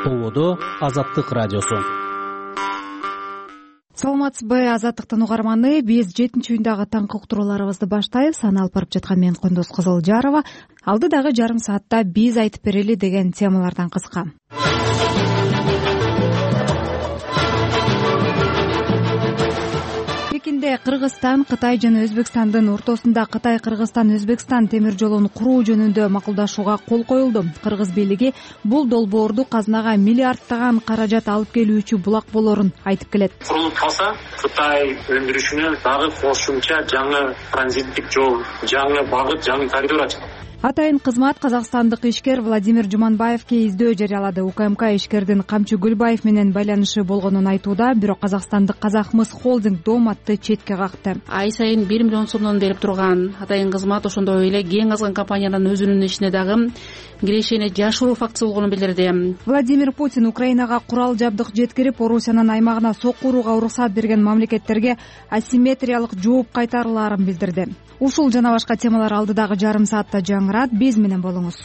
ТОВОдо Азаттык радиосу. Саламатсызбы, Азаттыктын угарманы. Биз 7-июндагы таңкы уктурууларыбызды баштайбыз. Аны алып барып жаткан мен Кондос Кызылжарова. Алдыдагы жарым саатта биз айтып берели деген темалардан кыска. Пекинде Кыргызстан, Кытай жана Өзбекстандын ортосунда Кытай-Кыргызстан-Өзбекстан темир жолун куруу жөнүндө макулдашууга кол коюлду. Кыргыз бийлиги бул долбоорду казынага миллиарддаган каражат алып келүүчү булак болорун айтып келет. Курулуп калса, Кытай өндүрүшүнө дагы кошумча жаңы транзиттик жол, жаңы багыт, жаңы коридор ачылат. Атайын кызмат казакстандык ишкер Владимир Жуманбаевке издөө жарыялады. УКМК ишкердин Камчы Гүлбаев менен байланышы болгонун айтууда, бирок казакстандык Казахмыс холдинг Доматты четке какты. Ай сайын 1 миллион сомдон берип турган атайын кызмат ошондой эле кең азган компаниянын өзүнүн ишине дагы кирешени жашыруу фактысы болгонун билдирди. Владимир Путин Украинага курал жабдык жеткирип, Орусиянын аймагына сокку урууга уруксат берген мамлекеттерге асимметриялык жооп кайтарылаарын билдирди. Ушул жана башка темалар алдыдагы жарым саатта жаңырат. Биз менен болуңуз.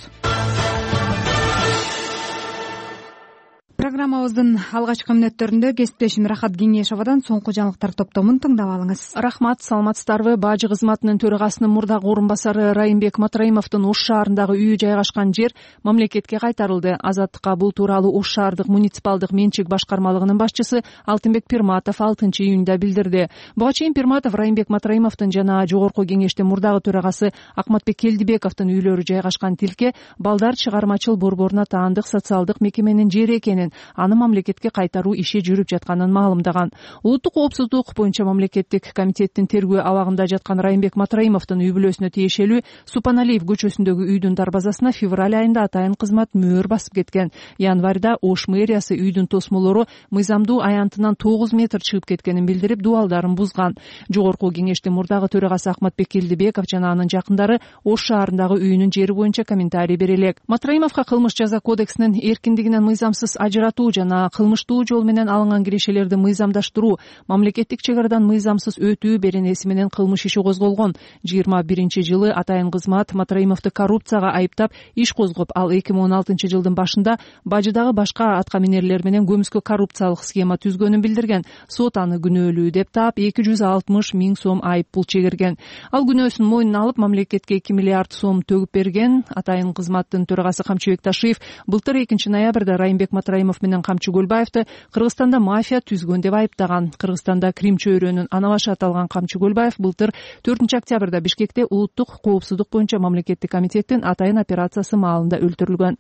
Программабыздын алгачкы мүнөттөрүндө кесиптешим Рахат Кеңешовадан соңку жаңылыктар топтомун тыңдап алыңыз. Рахмат, саламатсыздарбы? Бажы кызматынын төрагасынын мурдагы орун басары Райымбек Матраимовдун Ош шаарындагы үйү жайгашкан жер мамлекетке кайтарылды. Азаттыкка бул тууралуу Ош шаардык муниципалдык менчик башкармалыгынын башчысы Алтынбек Пирматов 6-июнда билдирди. Буга чейин Пирматов Райымбек Матраимовдун жана жогорку кеңештин мурдагы төрагасы Акматбек Келдибековдун үйлөрү жайгашкан тилке балдар чыгармачыл борборуна таандык социалдык мекеменин жери экенин, аны мамлекетке кайтаруу иши жүрүп жатканын маалымдаган. Улуттук коопсуздук боюнча мамлекеттик комитеттин тергөө абагында жаткан Райымбек Матраимовдун үй бүлөсүнө тиешелүү Супаналиев көчөсүндөгү үйдүн дарбазасына февраль айында атайын кызмат мөөр басып кеткен. Январда Ош мэриясы үйдүн тосмолору мыйзамдуу аянтынан 9 метр чыгып кеткенин билдирип, дубалдарын бузган. Жогорку кеңештин мурдагы төрагасы Акматбек Келдибеков жана анын жакындары Ош шаарындагы үйүнүн жери боюнча комментарий бере элек. Матраимовго кылмыш жаза кодексинин эркиндигинен мыйзамсыз ажыратуу жана кылмыштуу жол менен алынган кирешелерди мыйзамдаштыруу, мамлекеттик чек арадан мыйзамсыз өтүү беренеси менен кылмыш иши козголгон. 21-жылы атайын кызмат Матраимовду коррупцияга айыптап иш козгоп, ал 2016-жылдын башында бажыдагы башка аткаминерлер менен көмүскө коррупциялык схема түзгөнүн билдирген. Сот аны күнөөлүү деп таап 260 000 сом айып пул чегирген. Ал күнөөсүн мойнуна алып мамлекетке 2 миллиард сом төгүп берген. Атайын кызматтын төрагасы Камчыбек Ташиев былтыр 2-ноябрда Райымбек Матраимов менен Камчы Гүлбаевди Кыргызстанда мафия түзгөн деп айыптаган. Кыргызстанда Крим чөйрөнүн анабашы аталган Камчы Гүлбаев былтыр 4-октябрда Бишкекте улуттук коопсуздук боюнча мамлекеттик комитеттин атайын операциясы маалында өлтүрүлгөн.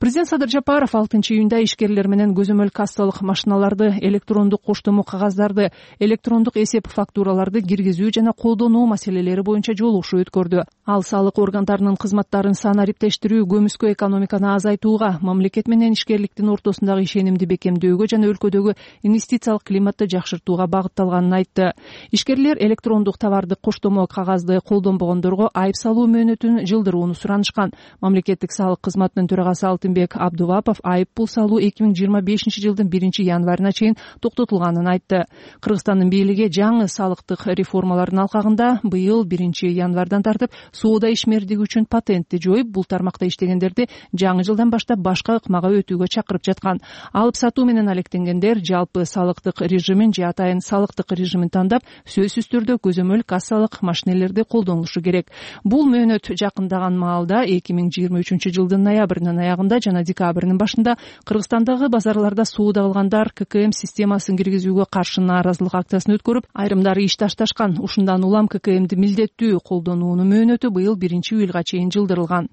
Президент Садыр Жапаров 6-июнда ишкерлер менен көзөмөл кассалык машиналарды, электрондук коштомо кагаздарды, электрондук эсеп фактураларды киргизүү жана колдонуу маселелери боюнча жолугушуу өткөрдү. Ал салык органдарынын кызматтарын санариптештирүү, көмүскө экономиканы азайтууга, мамлекет менен ишкерликтин ортосундагы ишенимди бекемдөөгө жана өлкөдөгү инвестициялык климатты жакшыртууга багытталганын айтты. Ишкерлер электрондук товардык коштомо кагазды колдонбогондорго айып салуу мөөнөтүн жылдырууну суранышкан. Мамлекеттик салык кызматынын төрагасы Алтынбек Абдувапов айып пул салуу 2025-жылдын 1-январына чейин токтотулганын айтты. Кыргызстандын бийлиги жаңы салыктык реформалардын алкагында быйыл 1-январдан тартып соода ишмердиги үчүн патентти жоюп, бул тармакта иштегендерди жаңы жылдан баштап башка ыкмага өтүүгө чакырып жаткан. Алып сатуу менен алектенгендер жалпы салыктык режимин же атайын салыктык режимин тандап, сөзсүз түрдө көзөмөл кассалык машинелерди колдонушу керек. Бул мөөнөт жакындаган маалда 2023-жылдын ноябрынын аягында жана декабрынын башында Кыргызстандагы базарларда соода кылгандар ККМ системасын киргизүүгө каршы нааразылык акциясын өткөрүп, айрымдары иш ташташкан. Ушундан улам ККМди милдеттүү колдонуунун мөөнөтү быйыл 1-июлга чейин жылдырылган.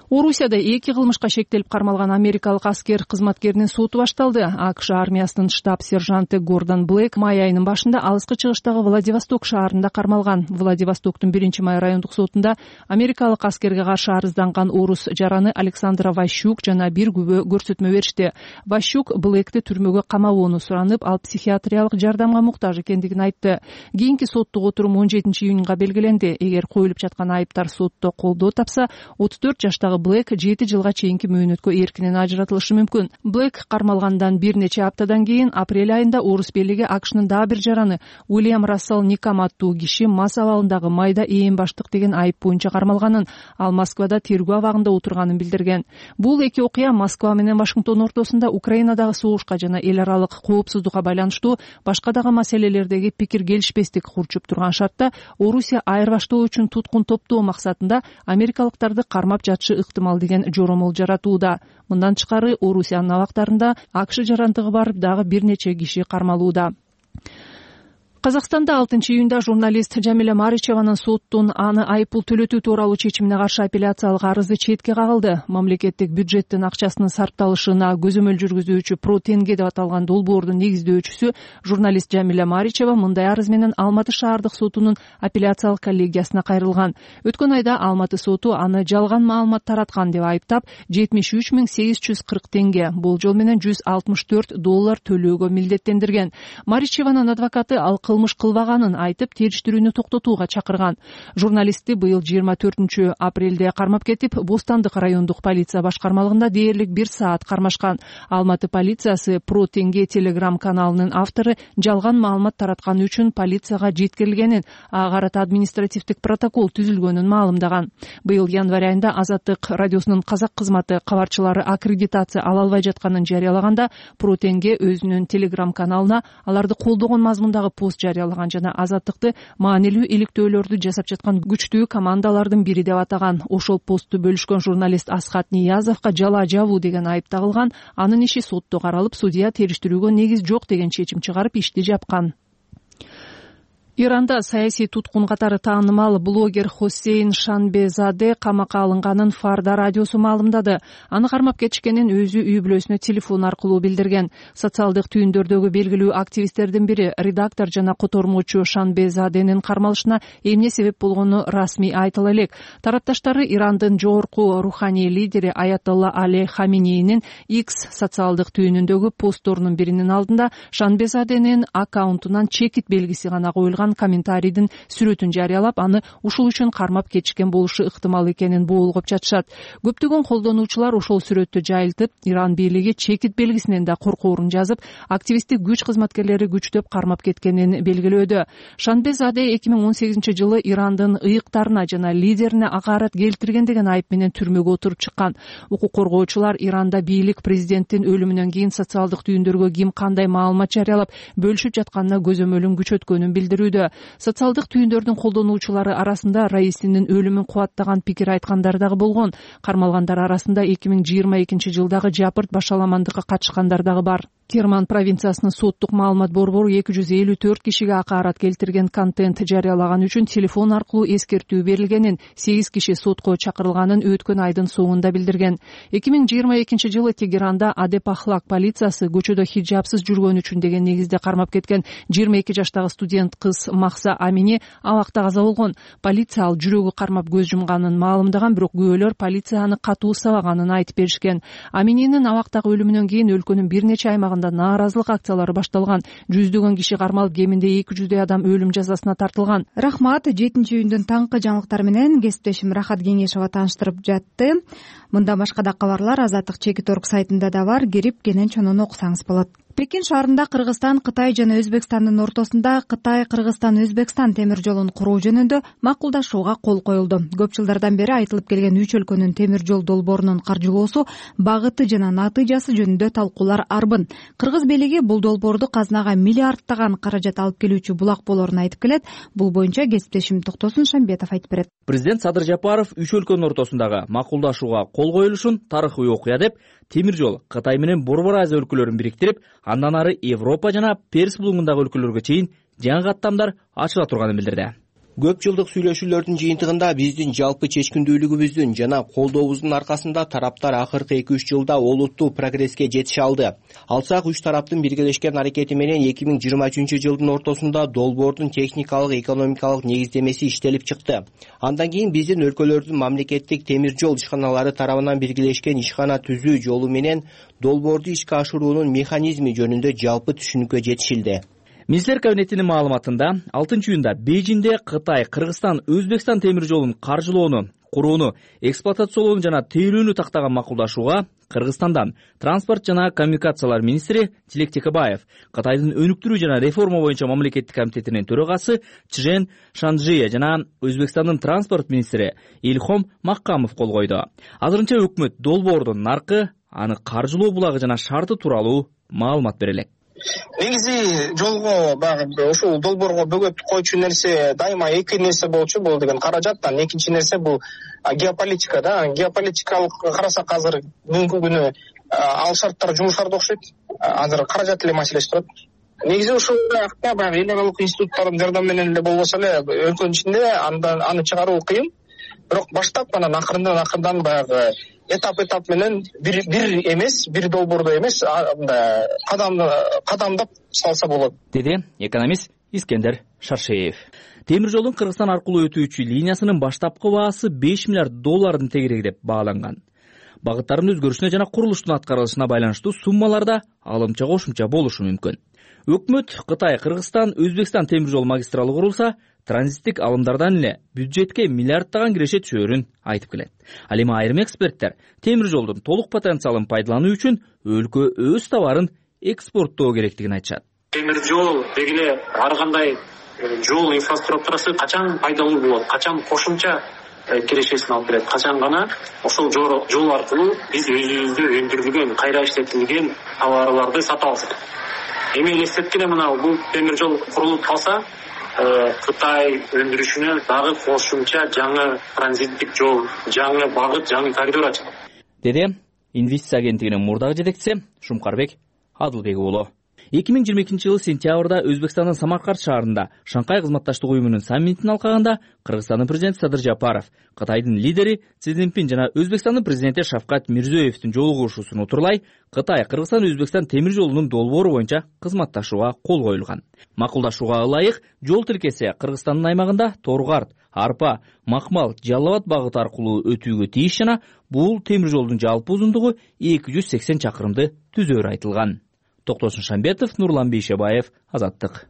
Орусияда 2 кылмышка шектелип кармалган америкалык аскер кызматкеринин соту башталды. АКШ армиясынын штаб сержанты Гордон Блэк май айынын башында алыскы чыгыштагы Владивосток шаарында кармалган. Владивостоктун 1-май райондук сотунда америкалык аскерге каршы арызданган орус жараны Александра Ващук жана бир күбө көрсөтмө беришти. Ващук Блэкти түрмөгө камабоону суранып, ал психиатриялык жардамга муктаж экендигин айтты. Кийинки соттук отурум 17-июнга белгиленди. Эгер коюлуп жаткан айыптар сотто колдоо тапса, 34 жаштагы жаштагы Блэк 7 жылга чейинки мөөнөткө эркинен ажыратылышы мүмкүн. Блэк кармалгандан бир нече аптадан кийин апрель айында орус бийлиги АКШнын дагы бир жараны Уильям Рассел Никам аттуу киши мас абалындагы майда ээн баштык деген айып боюнча кармалганын, ал Москвада тергөө абагында отурганын билдирген. Бул эки окуя Москва менен Вашингтон ортосунда Украинадагы согушка жана эл аралык коопсуздукка байланыштуу башка дагы маселелердеги пикир келишпестик курчуп турган шартта Орусия айырбаштоо үчүн туткун топтоо максатында америкалыктарды кармап жатышы ыктымал деген жоромол жаратууда. Мындан тышкары Орусиянын абактарында АКШ жарандыгы бар дагы бир нече киши кармалууда. Казакстанда 6-июнда журналист Жамиля Маричеванын соттун аны айыппул төлөтүү тууралуу чечимине каршы апелляциялык арызы четке кагылды. Мамлекеттик бюджеттин акчасынын сарпталышына көзөмөл жүргүзүүчү Pro-Tenge деп аталган долбоордун негиздөөчүсү журналист Жамиля Маричева мындай арыз менен Алматы шаардык сотунун апелляциялык коллегиясына кайрылган. Өткөн айда Алматы соту аны жалган маалымат тараткан деп айыптап 73.840 тенге, болжол менен $164 төлөөгө милдеттендирген. Маричеванын адвокаты ал кылмыш кылбаганын айтып, териштирүүнү токтотууга чакырган. Журналистти быйыл 24 апрелде кармап кетип, Бостандык райондук полиция башкармалыгында дээрлик 1 саат кармашкан. Алматы полициясы Pro-Tenge телеграм каналынын автору жалган маалымат таратканы үчүн полицияга жеткирилгенин, ага карата административдик протокол түзүлгөнүн маалымдаган. Быйыл январь айында Азаттык радиосунун казак кызматы кабарчылары аккредитация ала албай жатканын жарыялаганда, Pro-Tenge өзүнүн телеграм каналына аларды колдогон мазмундагы пост жарыялаган жана Азаттыкты маанилүү иликтөөлөрдү жасап жаткан күчтүү командалардын бири деп атаган. Ошол постту бөлүшкөн журналист Асхат Ниязовго жала жабуу деген айып тагылган. Анын иши сотто каралып, судья териштирүүгө негиз жок деген чечим чыгарып ишти жапкан. Иранда саясий туткун катары таанымал блогер Хосейн Шанбезаде камакка алынганын Фарда радиосу маалымдады. Аны кармап кетишкенин өзү үй бүлөсүнө телефон аркылуу билдирген. Социалдык түйүндөрдөгү белгилүү активисттердин бири редактор жана котормочу Шанбезаденин кармалышына эмне себеп болгону расмий айтыла элек. Тарапташтары Ирандын жогорку руханий лидери Аятолла Али Хаминейнин X социалдык түйүнүндөгү постторунун биринин алдында Шанбезаденин аккаунтунан чекит белгиси гана коюлган комментарийдин сүрөтүн жарыялап, аны ушул үчүн кармап кетишкен болушу ыктымал экенин боолгоп жатышат. Көптөгөн колдонуучулар ошол сүрөттү жайылтып, Иран бийлиги чекит белгисинен да коркоорун жазып, активисттик күч кызматкерлери күчтөп кармап кеткенин белгилөөдө. Шанбезаде 2018 жылы Ирандын ыйыктарына жана лидерине акаарат келтирген деген айып менен түрмөгө отуруп чыккан. Укук коргоочулар Иранда бийлик президенттин өлүмүнөн кийин социалдык түйүндөргө ким кандай маалымат жарыялап бөлүшүп жатканына көзөмөлүн күчөткөнүн билдирүүдө. Социалдык түйүндөрдүн колдонуучулары арасында раисинин өлүмүн кубаттаган пикир айткандар дагы болгон. Кармалгандар арасында 2022 жылдагы жапырт башаламандыкка катышкандар дагы бар. Керман провинциясынын соттук маалымат борбору 254 кишиге акаарат келтирген контент жарыялаган үчүн телефон аркылуу эскертүү берилгенин, 8 киши сотко чакырылганын өткөн айдын соңунда билдирген. 2022 жылы Тегеранда Адепахлак полициясы көчөдө хиджабсыз жүргөн үчүн деген негизде кармап кеткен 22 жаштагы студент кыз Махса Амини абакта каза болгон. Полиция ал жүрөгү кармап көз жумганын маалымдаган, бирок күбөлөр полицияны катуу сабаганын айтып беришкен. Амининин абактагы өлүмүнөн кийин өлкөнүн бир нече аймагында нааразылык акциялары башталган. Жүздөгөн киши кармалып, кеминде 200 адам өлүм жазасына тартылган. Рахмат. 7-июндун таңкы жаңылыктары менен кесиптешим Рахат Кеңешова тааныштырып жатты. Мындан башка да кабарлар Азаттык Чекит.орг сайтында да бар. Кирип кенен чонуну окусаңыз болот. Пекин шаарында Кыргызстан, Кытай жана Өзбекстандын ортосунда Кытай-Кыргызстан темир жолун куруу жөнүндө макулдашууга кол коюлду. Көп жылдардан бери айтылып келген үч өлкөнүн темир жол долбоорунун каржылоосу, багыты жана натыйжасы жөнүндө талкуулар арбын. Кыргыз бийлиги бул долбоорду казынага миллиардтаган каражат алып келүүчү булак болоорун айтып келет. Бул боюнча кесиптешим Токтосун Шамбетов айтып берет. Президент Садыр Жапаров үч өлкөнүн ортосундагы макулдашууга кол коюлушун тарыхый окуя деп, темир жол Кытай менен Борбор Азия өлкөлөрүн бириктирип, андан ары Европа жана Перс булуңундагы өлкөлөргө чейин жаңы каттамдар ачыла турганын билдирди. Көп жылдык сүйлөшүүлөрдүн жыйынтыгында биздин жалпы чечкиндүүлүгүбүздүн жана колдообуздун аркасында тараптар акыркы 2-3 жылда олуттуу прогресске жетише алды. Алсак, үч тараптын биргелешкен аракети менен 2023 жылдын ортосунда долбоордун техникалык, экономикалык негиздемеси иштелип чыкты. Андан кийин биздин өлкөлөрдүн мамлекеттик темир жол ишканалары тарабынан биргелешкен ишкана түзүү жолу менен долбоорду ишке ашыруунун механизми жөнүндө жалпы түшүнүккө жетишилди. Министрлер кабинетинин маалыматында 6-июнда Бейжиңде Кытай, Кыргызстан, Өзбекстан темир жолун каржылоону курууну, эксплуатациялоону жана тейлөөнү тактаган макулдашууга Кыргызстандан транспорт жана коммуникациялар министри Тилек Текебаев, Кытайдын өнүктүрүү жана реформа боюнча мамлекеттик комитетинин төрагасы Чжен Шанжие жана Өзбекстандын транспорт министри Илхом Маккамов кол койду. Азырынча өкмөт долбоордун наркы, аны каржылоо булагы жана шарты тууралуу маалымат бере элек. Негизи жолго баягы ушул долбоорго бөгөт койчу нерсе дайыма эки нерсе болчу. Бул деген каражат, экинчи нерсе бул геополитика да. Геополитикалык карасак азыр бүгүнкү күнү ал шарттар жумушкарда окшойт. Азыр каражат эле маселеси турат. Негизи ушул баягы эл аралык институттардын жардамы менен эле болбосо эле өлкөнүн ичинде аны чыгаруу кыйын. Бирок баштап анан акырдан баягы этап менен бир эмес, бир долбоордо эмес, кадамдап салса болот, деди экономист Искендер Шаршеев. Темир жолдун Кыргызстан аркылуу өтүүчү линиясынын баштапкы баасы $5 миллиард тегерек деп бааланган. Багыттардын өзгөрүшүнө жана курулуштун аткарылышына байланыштуу суммаларда алымча кошумча болушу мүмкүн. Өкмөт Кытай, Кыргызстан, Өзбекстан темир жол магистралы курулса, транзиттик алымдардан эле бюджетке миллиарддаган киреше түшөөрүн айтып келет. Ал эми айрым эксперттер темир жолдун толук потенциалын пайдалануу үчүн өлкө өз товарын экспорттоо керектигин айтышат. Темир жол деги эле ар кандай жол инфраструктурасы качан пайдалуу болот, качан кошумча кирешесин алып берет, качан гана ошол жол аркылуу биз өзүбүздө өндүрүлгөн, кайра иштетилген товарларды сата алсак. Эми элестеткене мына бул темир жол курулуп калса, Кытай өндүрүшүнө дагы кошумча жаңы транзиттик жол, жаңы багыт, жаңы коридор ачылат, деди инвестиция агенттигинин мурдагы жетекчиси Шумкарбек Адылбек уулу. 2022 жылы сентябрда Өзбекстандын Самарканд шаарында Шанхай кызматташтык уюмунун саммитин алкаганда Кыргызстандын президенти Садыр Жапаров, Кытайдын лидери Си Цзиньпин жана Өзбекстандын президенти Шавкат Мирзиёевдин жолугушуусун утурлай Кытай, Кыргызстан, Өзбекстан темир жолунун долбоору боюнча кызматташууга кол коюлган. Макулдашууга ылайык жол тилкеси Кыргызстандын аймагында Торгарт, Арпа, Макмал, Жалал Абад багыты аркылуу өтүүгө тийиш жана бул темир жолдун жалпы узундугу 280 чакырымды түзөөрү айтылган. Токтосун Шамбетов, Нурлан Бейшебаев, Азаттык.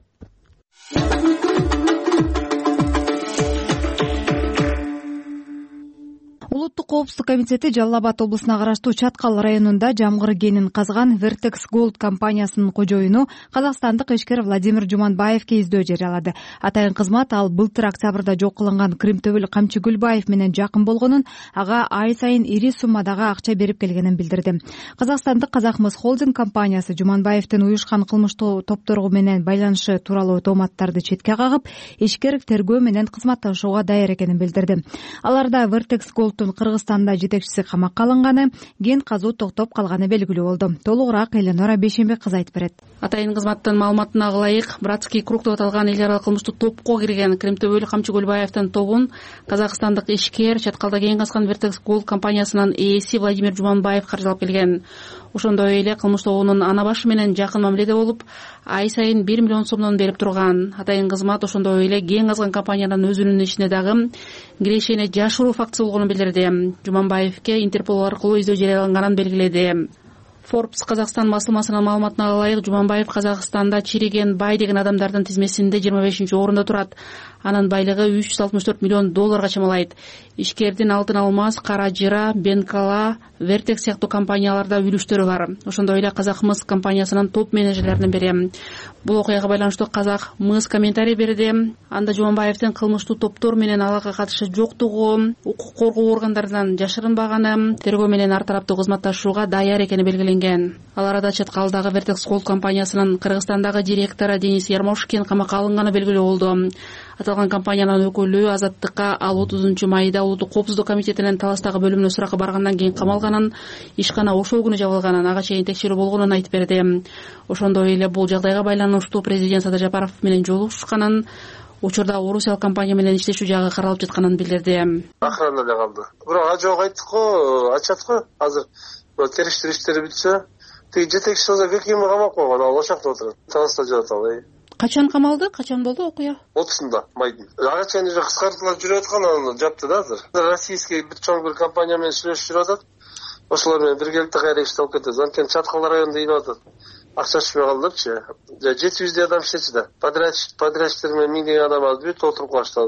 Улуттук коопсуздук комитети Жалал Абад облусуна караштуу Чаткал районунда жамгыр кенин казган Vertex Gold компаниясынын кожоюну казакстандык ишкер Владимир Жуманбаевке издөө жарыялады. Атайын кызмат ал былтыр октябрда жок кылынган Кримтөбүл Камчы Гүлбаев менен жакын болгонун, ага ай сайын ири суммадагы акча берип келгенин билдирди. Казакстандык Казакмыс холдинг компаниясы Жуманбаевдин уюшкан кылмыштуу топтору менен байланышы тууралуу тооматтарды четке кагып, ишкер тергөө менен кызматташууга даяр экенин билдирди. Аларда Vertex Gold'ун Кыргызстанда жетекчиси камакка алынганы, ген казуу токтоп калганы белгилүү болду. Толугураак Эленора Бейшембек кызы айтып берет. Атайын кызматтын маалыматына ылайык, Братский круг деп аталган эл аралык кылмыштуу топко кирген Кримтөбүл Камчы Гүлбаевдин тобун казакстандык ишкер Чаткалда кен казган Vertex Gold компаниясынын ээси Владимир Жуманбаев каржылап келген. Ошондой эле кылмыш тобунун ана башы менен жакын мамиледе болуп, ай сайын 1 миллион сомдон берип турган. Атайын кызмат ошондой эле кен казган компаниянын өзүнүн ишине дагы кирешени жашыруу фактысы болгонун билдирди. Жуманбаевке Интерпол аркылуу издөө жарыяланганын белгиледи. Forbes Казакстан басылмасынын маалыматына ылайык, Жуманбаев Казакстанда чириген бай деген адамдардын тизмесинде 25-орунда турат. Анын байлыгы $364 миллион чамалайт. Ишкердин Алтын Алмаз, Кара Жыра, Бенкала, Vertex сыяктуу компанияларда үлүштөрү бар. Ошондой эле Казакмыс компаниясынын топ менеджерлеринин бири. Бул окуяга байланыштуу Казакмыс комментарий берди. Анда Жуманбаевдин кылмыштуу топтор менен алакка катышы жоктугу, укук коргоо органдарынан жашырынбаганы, тергөө менен ар тараптуу кызматташууга даяр экени белгиленген. Ал арада Чаткалдагы Vertex Gold компаниясынын Кыргызстандагы директору Денис Ярмошкин камакка алынганы белгилүү болду. Аталган компаниянын өкүлү Азаттыкка ал 30-майда Улуттук коопсуздук комитетинин Таластагы бөлүмүнө суракка баргандан кийин камалганын, ишкана ошол күнү жабылганын, ага чейин текшерүү болгонун айтып берди. Ошондой эле бул жагдайга байланыштуу президент Садыр Жапаров менен жолугушканын, учурда орусиялык компания менен иштешүү жагы каралып жатканын билдирди. Охрана эле калды. Бирок ажок айттык го, ачат го. Азыр териштирүү иштери бүтсө, тиги жетекчиси болсо 2 жыл камап койгон, ал ошакта отурат. Таласта жатат ал. Качан камалды? Качан болду окуя? 30-да майдын. Ага чейин уже кыскартуулар жүрүп аткан, аны жапты да азыр. Российский бир чоң бир компания менен сүйлөшүп жүрүп атат. Ошолор менен биргеликте кайра иштеп алып кетет. Анткени Чаткал районунда ийип атат. акча түшпөй калдырчы. 700 адам иштечи да. Подрядчиктер менен 1000 адам алып бүт отуруп калышты.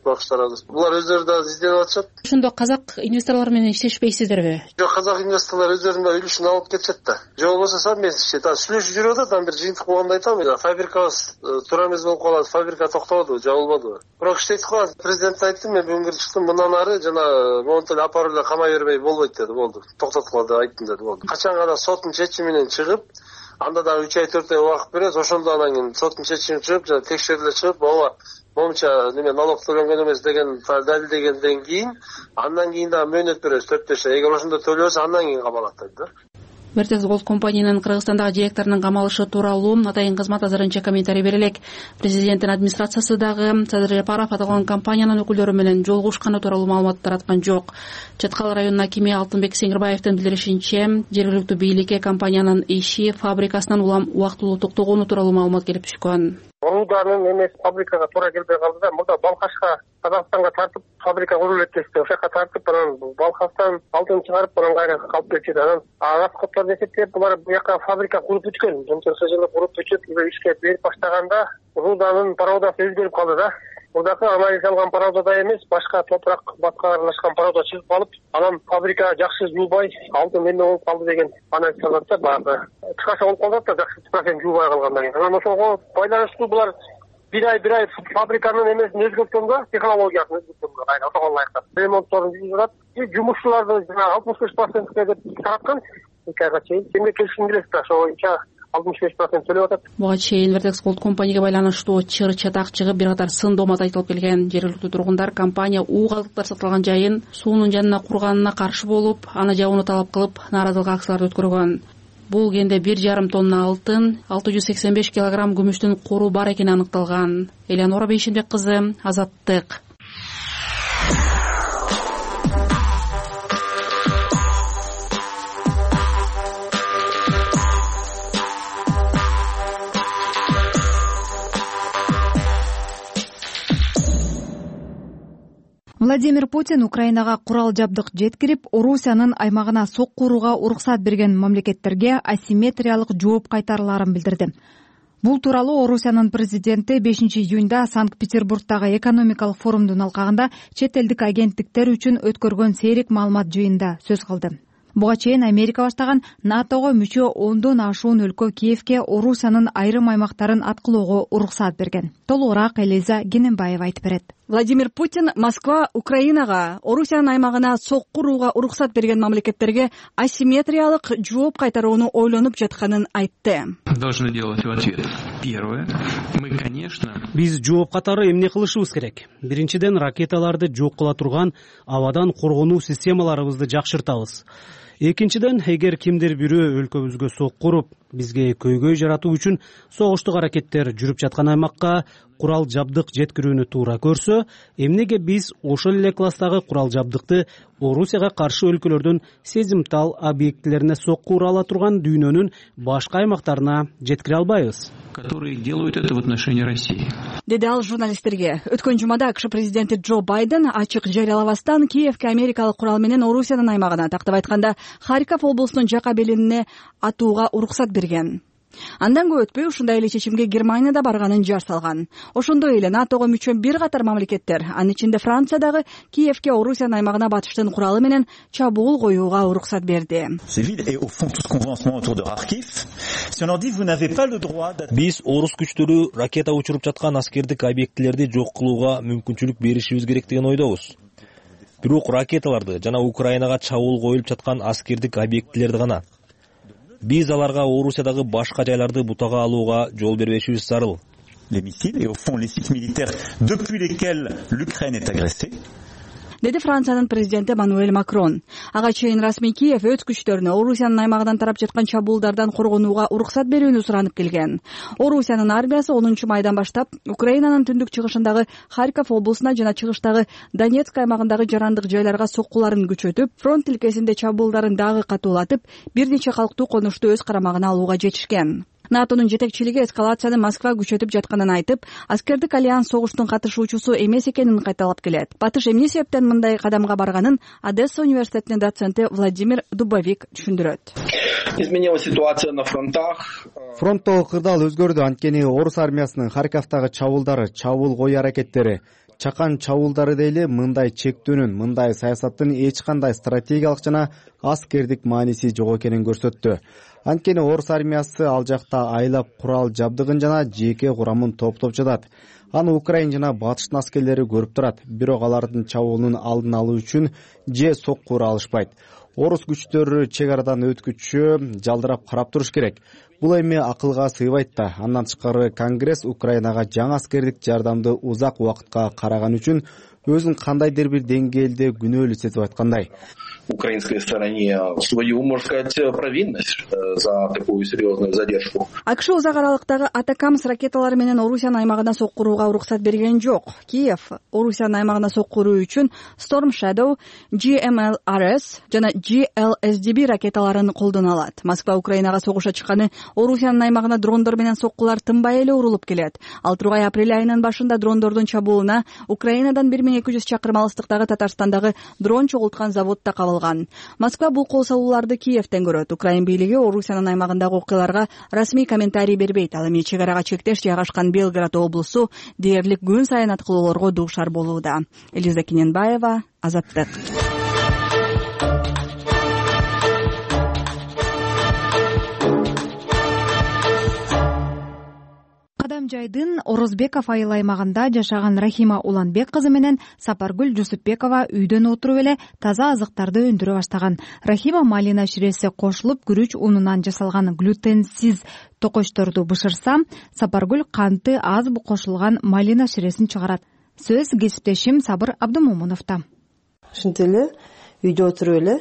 Багыштар азыр. Булар өздөрү да изденип атышат. Ошондо казак инвесторлор менен иштешпейсиздерби? Жок, казак инвесторлор өздөрүнүн үлүшүн алып кетишет да. Же болбосо совместно иштейт. Сүйлөшүп жүрүп атат, бир жыйынтык болгондо айтам, фабрикабыз туура эмес болуп калат, фабрика токтободубу, жабылбадыбы. Бирок иштейт го. Президент айтты, мен бүгүн чыктым, мындан ары жана монтель апарып эле камай бербей болбойт деди, болду. Токтоткула деп айттым деди, болду. Качан гана соттун чечими менен чыгып, анда дагы 3 ай 4 ай убакыт берет, ошондо анан кийин соттун чечими чыгып, жана текшериле чыгып, ооба момча налог төлөнгөн эмес деген далилдегенден кийин, андан кийин дагы мөөнөт беребиз 4-5 ай. Эгер ошондо төлөбөсө, андан кийин камалат дейт да. Vertex Gold компаниянын Кыргызстандагы директорунун камалышы тууралуу атайын кызмат азырынча комментарий бере элек. Президенттин администрациясы дагы Садыр Жапаров аталган компаниянын өкүлдөрү менен жолугушканы тууралуу маалымат тараткан жок. Чаткал районунун акими Алтынбек Сеңирбаевдин билдиришинче, жергиликтүү бийликке компаниянын иши фабрикасынан улам убактылуу токтогону тууралуу маалымат келип түшкөн. Рууданын эмес фабрикага туура келбей калды да. Мурда Балкашка, Казакстанга тартып фабрика курулуп кетти. Ошол жака тартып, анан Балкаштан алтын чыгарып, анан кайра калып кетти. Анан расходторду эсептеп, булар бу жака фабрика куруп бүткөн. Ошол жылы куруп бүтүп, ишке берип баштаганда Рууданын породасы өзгөрүп калды да. Мурдакы анализ алган породада эмес, башка топурак батка аралашкан порода чыгып калып, анан фабрика жакшы жуубай, алтын эме болуп калды деген анализ алат да, баягы. Кыскача болуп калат да, жакшы процент жуубай калгандан кийин. Анан ошого байланыштуу булар бир ай фабриканын эмесин өзгөрткөнгө, технологиясын өзгөрткөнгө кайра ошого ылайыктап ремонтторун жүргүзүп атат. Жумушчуларды жана 65% деп тараткан. 2 айга чейин кимге келишим келет да, ошо 65% төлөп атат. Буга чейин Vertex Gold компанияга байланыштуу чыр чатак чыгып, бир катар сын доомат айтылып келген. Жергиликтүү тургундар компания уу калдыктар сатылган жайын суунун жанына курганына каршы болуп, аны жабууну талап кылып, нааразылык акцияларды өткөргөн. Бул кенде 1,5 тонна алтын, 685 килограмм күмүштүн кору бар экени аныкталган. Элеонора Бейшенбек кызы, Азаттык. Владимир Путин Украинага курал жабдык жеткирип, Орусиянын аймагына сокку урууга уруксат берген мамлекеттерге асимметриялык жооп кайтарыларын билдирди. Бул тууралуу Орусиянын президенти 5-июнда Санкт-Петербургдагы экономикалык форумдун алкагында чет элдик агенттиктер үчүн өткөргөн сейрек маалымат жыйынында сөз кылды. Буга чейин Америка баштаган НАТОго мүчө 10дон ашуун өлкө Киевке Орусиянын айрым аймактарын аткылоого уруксат берген. Толугураак Элиза Гененбаева айтып берет. Владимир Путин Москва Украинага, Орусиянын аймагына сокку урууга уруксат берген мамлекеттерге асимметриялык жооп кайтарууну ойлонуп жатканын айтты. Должны делать в ответ. Первое. Мы, конечно... Биз жооп катары эмне кылышыбыз керек? Биринчиден, ракеталарды жок кыла турган абадан коргонуу системаларыбызды жакшыртабыз. Экинчиден, эгер кимдир бирөө өлкөбүзгө сокку уруп, бизге көйгөй жаратуу үчүн согуштук аракеттер жүрүп жаткан аймакка курал жабдык жеткирүүнү туура көрсө, эмнеге биз ошол эле класстагы курал жабдыкты Орусияга каршы өлкөлөрдүн сезимтал объектилерине сокку ура ала турган дүйнөнүн башка аймактарына жеткире албайбыз? Которые делают это в отношении России. Деди ал журналисттерге. Өткөн жумада АКШ президенти Джо Байден ачык жарыялабастан Киевке америкалык курал менен Орусиянын аймагына, тактап айтканда Харьков облусунун жака белинине атууга уруксат берген. Андан көп өтпөй ушундай эле чечимге Германия да барганын жар салган. Ошондой эле НАТОго мүчө бир катар мамлекеттер, анын ичинде Франция дагы Киевке Орусиянын аймагына батыштын куралы менен чабуул коюуга уруксат берди. Биз орус күчтөрү ракета учуруп жаткан аскердик объектилерди жок кылууга мүмкүнчүлүк беришибиз керек деген ойдобуз. Бирок ракеталарды жана Украинага чабуул коюлуп жаткан аскердик объектилерди гана. Биз аларга Орусиядагы башка жайларды бутага алууга жол бербешибиз зарыл. Les missiles et au fond les sites militaires depuis lesquels l'Ukraine est agressée. Деди Франциянын президенти Эммануэль Макрон. Ага чейин расмий Киев өз күчтөрүнө Орусиянын аймагынан тарап жаткан чабуулдардан коргонууга уруксат берүүнү суранып келген. Орусиянын армиясы 10 майдан баштап Украинанын түндүк чыгышындагы Харьков облусуна жана чыгыштагы Донецк аймагындагы жарандык жайларга соккуларын күчөтүп, фронт тилкесинде чабуулдарын дагы катуулатып, бир нече калктуу конушту өз карамагына алууга жетишкен. НАТОнун жетекчилиги эскалацияны Москва күчөтүп жатканын айтып, аскердик альянс согуштун катышуучусу эмес экенин кайталап келет. Батыш эмне себептен мындай кадамга барганын Одесса университетинин доценти Владимир Дубовик түшүндүрөт. Изменилась ситуация на фронтах. Фронттогу кырдаал өзгөрдү. Анткени орус армиясынын Харьковдагы чабуулдары, чабуул кою аракеттери, чакан чабуулдары дейли мындай чектөөнүн, мындай саясаттын эч кандай стратегиялык жана аскердик мааниси жок экенин көрсөттү. Анткени орус армиясы ал жакта айлап курал жабдыгын жана жеке курамын топтоп жатат. Аны Украина жана батыштын аскерлери көрүп турат. Бирок алардын чабуулунун алдын алуу үчүн же сокку ура алышпайт. Орус күчтөрү чек арадан өткүчү жалдырап карап туруш керек. Бул эми акылга сыйбайт да. Андан тышкары Конгресс Украинага жаңы аскердик жардамды узак убакытка караган үчүн өзүн кандайдыр бир деңгээлде күнөөлүү сезип аткандай. Украинской стороне свою, можно сказать, провинность за такую серьезную задержку. АКШ узак аралыктагы Атакамс ракеталары менен Орусиянын аймагына сокку урууга уруксат берген жок. Киев Орусиянын аймагына сокку уруу үчүн Storm Shadow, GMLRS жана GLSDB ракеталарын колдоно алат. Москва Украинага согушка чыкканы Орусиянын аймагына дрондор менен соккулар тынбай эле урулуп келет. Ал тургай апрель айынын башында дрондордун чабуулуна Украинадан 1200 чакырым алыстыктагы Татарстандагы дрон чогулткан заводда кабылган. Москва бул кол салууларды Киевтен көрөт. Украин бийлиги Орусиянын аймагындагы окуяларга расмий комментарий бербейт. Ал эми чек арага чектеш жайгашкан Белград облусу дээрлик күн сайын аткылоолорго дуушар болууда. Элиза Кененбаева, Азаттык. Кадамжайдын Орозбеков айыл аймагында жашаган Рахима Уланбек кызы менен Сапаргүл Жусупбекова үйдөн отуруп эле таза азыктарды өндүрө баштаган. Рахима малина ширеси кошулуп күрүч унунан жасалган глютенсиз токочторду бышырса, Сапаргүл канты аз кошулган малина ширесин чыгарат. Сөз кесиптешим Сабыр Абдымомуновдо. Ушинтип эле үйдө отуруп эле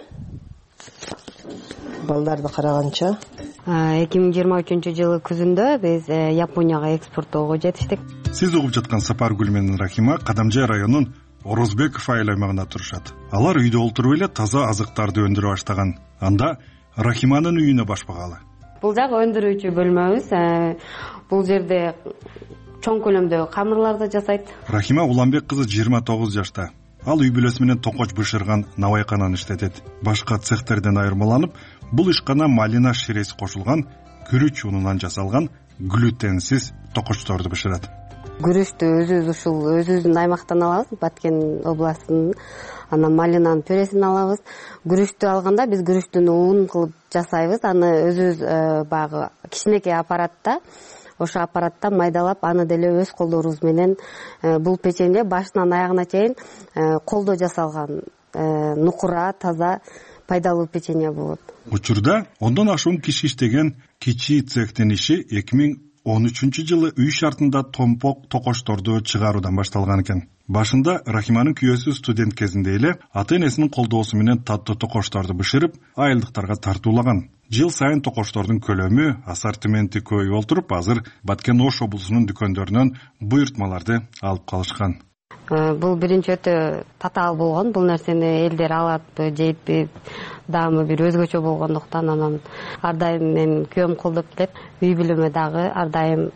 балдарды караганча 2023-жылы күзүндө биз Японияга экспорттоого жетиштик. Сиз угуп жаткан Сапаргүл менен Рахима Кадамжай районунун Орозбеков айыл аймагында турушат. Алар үйдө олтуруп эле таза азыктарды өндүрө баштаган. Анда Рахиманын үйүнө башпагалы. Бул жагы өндүрүүчү бөлмөбүз. Бул жерде чоң көлөмдө камырларды жасайт. Рахима Уланбек кызы 29 жашта. Ал үй бүлөсү менен токоч бышырган навайкананы иштетет. Башка цехтерден айырмаланып, бул ишкана малина ширеси кошулган күрүч унунан жасалган глютенсиз токочторду бышырат. Күрүчтү өзүбүз ушул өзүбүздүн аймактан алабыз, Баткен областынын. Анан малинанын пюресин алабыз. Күрүчтү алганда биз күрүчтүн ун кылып жасайбыз. Аны өзүбүз баягы кичинекей аппаратта, ошо аппаратта майдалап, аны деле өз колдорубуз менен бул печенье башынан аягына чейин колдо жасалган нукура, таза, пайдалуу печенье болот. Учурда ондон ашуун киши иштеген кичи цехтин иши 2013-жылы үй шартында томпок токочторду чыгаруудан башталган экен. Башында Рахиманын күйөөсү студент кезинде эле ата-энесинин колдоосу менен таттуу токочторду бышырып, айылдыктарга тартуулаган. Жыл сайын токочтордун көлөмү, ассортименти көбөйүп олтуруп, азыр Баткен Ош облусунун дүкөндөрүнөн буйртмаларды алып калышкан. Бул биринчи өтө татаал болгон. Бул нерсени элдер алатпы, жейтпи, даамы бир өзгөчө болгондуктан анан ар дайым менин күйөөм колдоп келет. Үй бүлөмө дагы ар дайым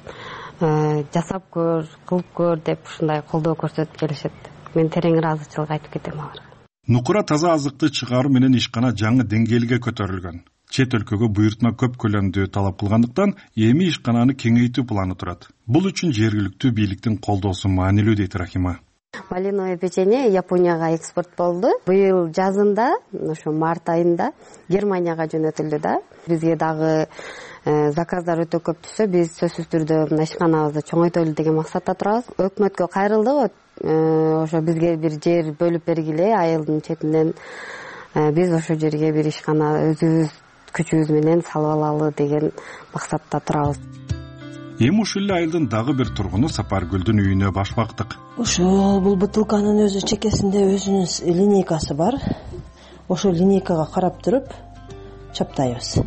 жасап көр, кылып көр деп ушундай колдоо көрсөтүп келишет. Мен терең ыраазычылык айтып кетем аларга. Нукура таза азыкты чыгаруу менен ишкана жаңы деңгээлге көтөрүлгөн. Чет өлкөгө буйртма көп көлөмдүү талап кылгандыктан эми ишкананы кеңейтүү планы турат. Бул үчүн жергиликтүү бийликтин колдоосу маанилүү дейт Рахима. Малиновый печенье Японияга экспорт болду. Быйыл жазында, ошо март айында Германияга жөнөтүлдү да. Бизге дагы заказдар өтө көп түшсө, биз сөзсүз түрдө мына ишканабызды чоңойтолу деген максатта турабыз. Өкмөткө кайрылдык, ошо бизге бир жер бөлүп бергиле айылдын четинен. Биз ошо жерге бир ишкана өзүбүз күчүбүз менен салып алалы деген максатта турабыз. Эми ушул эле айылдын дагы бир тургуну Сапаргүлдүн үйүнө башпактык. Ошо бул бутылканын өзү чекесинде өзүнүн линейкасы бар. Ошол линейкага карап туруп чаптайбыз.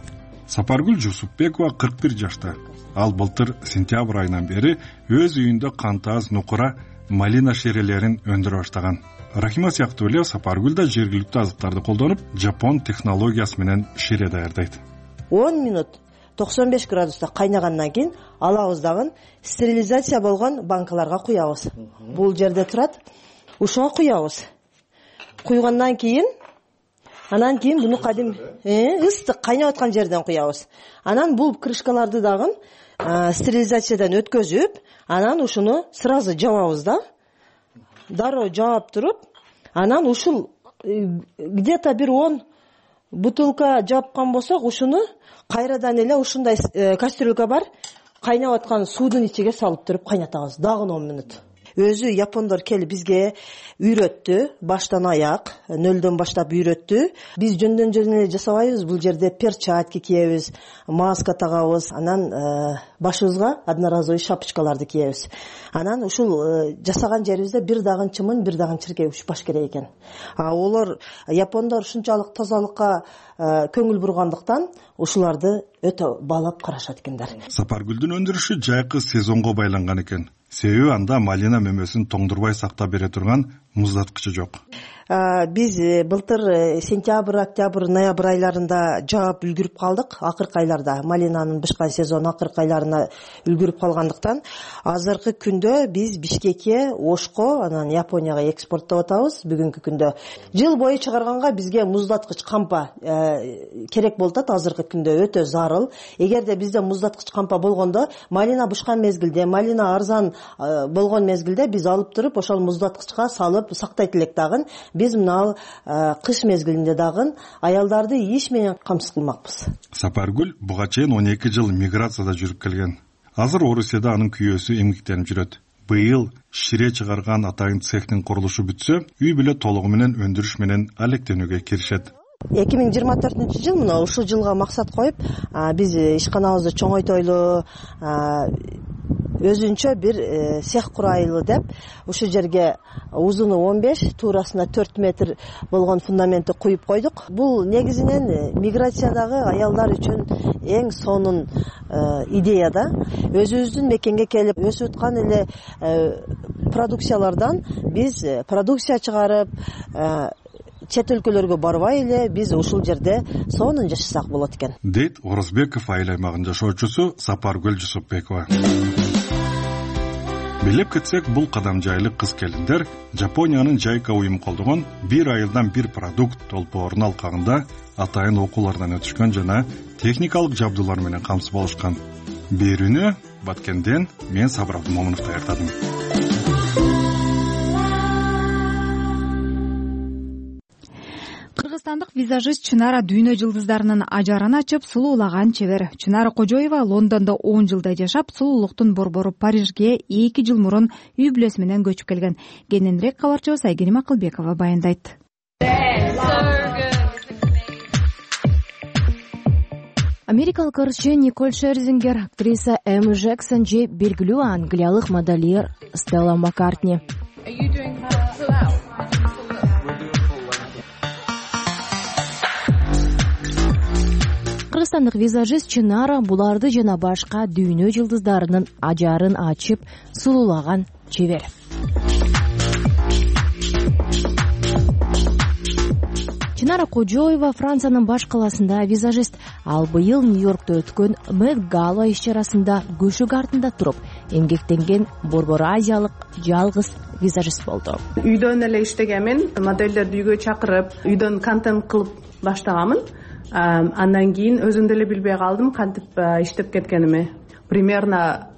Сапаргүл Жусупбекова 41 жашта. Ал былтыр сентябрь айынан бери өз үйүндө кантаз, нукура, малина шерелерин өндүрө баштаган. Рахима сыяктуу эле Сапаргүл да жергиликтүү азыктарды колдонуп, жапон технологиясы менен шире даярдайт. 10 минут 95 градуста кайнагандан кийин алабыз дагы стерилизация болгон банкаларга куябыз. Бул жерде турат. Ушуга куябыз. Куйгандан кийин Анан кийин буну ыстык кайнап аткан жерден куябыз. Анан бул крышкаларды дагы стерилизациядан өткөзүп, анан ушуну сразу жабабыз да. Дароо жаап туруп, анан ушул где-то бир 10 бутылка жапкан болсок, ушуну кайрадан эле ушундай кастрюлька бар, кайнап аткан суудун ичиге салып туруп кайнатабыз дагы 10 мүнөт. Өзү япондор келип бизге үйрөттү, баштан аяк, нөлдөн баштап үйрөттү. Биз жөндөн жөн эле жасабайбыз, бул жерде перчатки кийебиз, маска тагабыз, анан башыбызга одноразовый шапочкаларды кийебиз. Анан ушул жасаган жерибизде бир дагы чымын, бир дагы чиркей учпаш керек экен. Олар япондор ушунчалык тазалыкка көңүл бургандыктан ушуларды өтө баалап карашат экендер. Сапаргүлдүн өндүрүшү жайкы сезонго байланган экен. Себеби анда малина мөмөсүн тоңдурбай сактап бере турган муздаткычы жок. Биз былтыр сентябрь, октябрь, ноябрь айларында жаап үлгүрүп калдык. Акыркы айларда малинанын бышкан сезону акыркы айларына үлгүрүп калгандыктан азыркы күндө биз Бишкекке, Ошко, анан Японияга экспорттоп атабыз. Бүгүнкү күндө жыл бою чыгарганга бизге муздаткыч кампа керек болуп атат. Азыркы күндө өтө зарыл. Эгерде бизде муздаткыч кампа болгондо, малина бышкан мезгилде, малина арзан болгон мезгилде биз алып туруп ошол муздаткычка салып сактайт элек дагы. Биз мына кыш мезгилинде дагы аялдарды иш менен камсыз кылмакпыз. Сапаргүл буга чейин 12 жыл миграцияда жүрүп келген. Азыр Орусияда анын күйөөсү эмгектенип жүрөт. Быйыл шире чыгарган атайын цехтин курулушу бүтсө, үй бүлө толугу менен өндүрүш менен алектенүүгө киришет. 2024 мына ушул жылга максат коюп, биз ишканабызды чоңойтойлу, өзүнчө бир цех курайлы деп ушул жерге узуну 15, туурасына 4 метр болгон фундаментти куюп койдук. Бул негизинен миграциядагы аялдар үчүн эң сонун идея да. Өзүбүздүн мекенге келип өсүп аткан эле продукциялардан биз продукция чыгарып, чет өлкөлөргө барбай эле биз ушул жерде сонун жашасак болот экен. Дейт Орозбеков айыл аймагынын жашоочусу Сапаргүл Жусупбекова. Билип кетсек, бул кадам жайлык кыз келиндер Жапониянын Жайка уюму колдогон бир айылдан бир продукт толпоорунун алкагында атайын окуулардан өтүшкөн жана техникалык жабдуулар менен камсыз болушкан. Берүүнү Баткенден мен Сабыр Абдымомунов даярдадым. Кыргызстандык визажист Чынара дүйнө жылдыздарынын ажарын ачып, сулуулаган чебер. Чынара Кожоева Лондондо 10 жылдай жашап, сулуулуктун борбору Парижге 2 жыл мурун үй бүлөсү менен көчүп келген. Кененирээк кабарчыбыз Айгерим Акылбекова баяндайт. Америкалык ырчы Николь Шерзингер, актриса Эми Джексон же белгилүү англиялык модельер Стелла Маккартни. Кыргызстандык визажист Чынара буларды жана башка дүйнө жылдыздарынын ажарын ачып, сулуулаган чебер. Чынара Кожоева Франциянын баш каласында визажист. Ал быйыл Нью-Йоркто өткөн Met Gala иш-чарасында көшүк артында туруп, эмгектенген борбор азиялык жалгыз визажист болду. Үйдөн эле иштегенмин, модельдерди үйгө чакырып, үйдөн контент кылып баштаганмын. Андан кийин өзүм деле билбей калдым кантип иштеп кеткеними. Примерно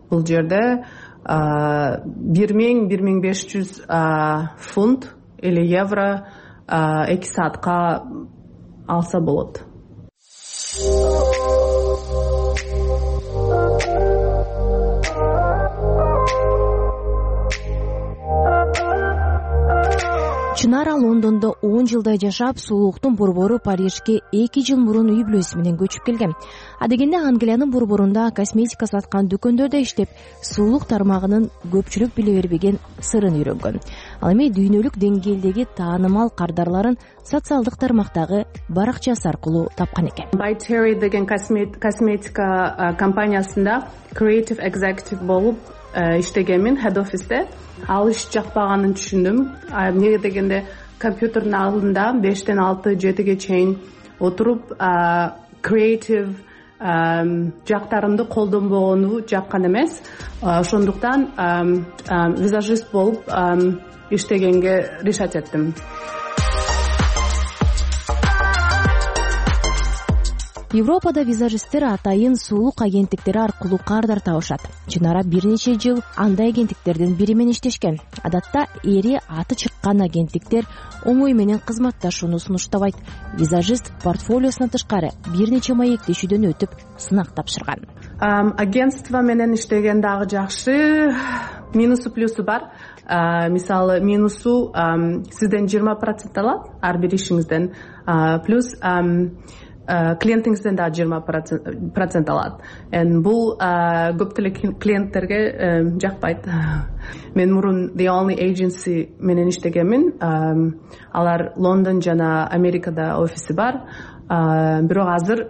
бул жерде 1000-1500 фунт или евро 2 саатка алса болот. Чынара Лондондо 10 жылдай жашап, сулуулуктун борбору Парижге 2 жыл мурун үй бүлөсү менен көчүп келген. Адегенде Англиянын борборунда косметика саткан дүкөндөрдө иштеп, сулуулук тармагынын көпчүлүк биле бербеген сырын үйрөнгөн. Ал эми дүйнөлүк деңгээлдеги таанымал кардарларын социалдык тармактагы баракчасы аркылуу тапкан экен. By Terry деген косметика компаниясында creative executive болуп иштегенмин, head office'те. Ал иш жакпаганын түшүндүм. Эмне дегенде компьютердин алдында 5-тен 6-7ге чейин отуруп, creative жактарымды колдонбогону жаккан эмес. Ошондуктан визажист болуп иштегенге решать эттим. Европада визажисттер атайын сулук агенттиктери аркылуу кардар табышат. Чынара бир нече жыл андай агенттиктердин бири менен иштешкен. Адатта эри аты чыккан агенттиктер оңой менен кызматташууну сунуштабайт. Визажист портфолиосуна тышкары бир нече маектешүүдөн өтүп сынак тапшырган. Агентство менен иштеген дагы жакшы, минусу плюсу бар. Мисалы минусу сизден 20% алат ар бир ишиңизден, плюс клиентиңизден дагы 20% алат. Бул көптөгөн клиенттерге жакпайт. Мен мурун The Only Agency менен иштегенмин. Алар Лондон жана Америкада офиси бар. Бирок азыр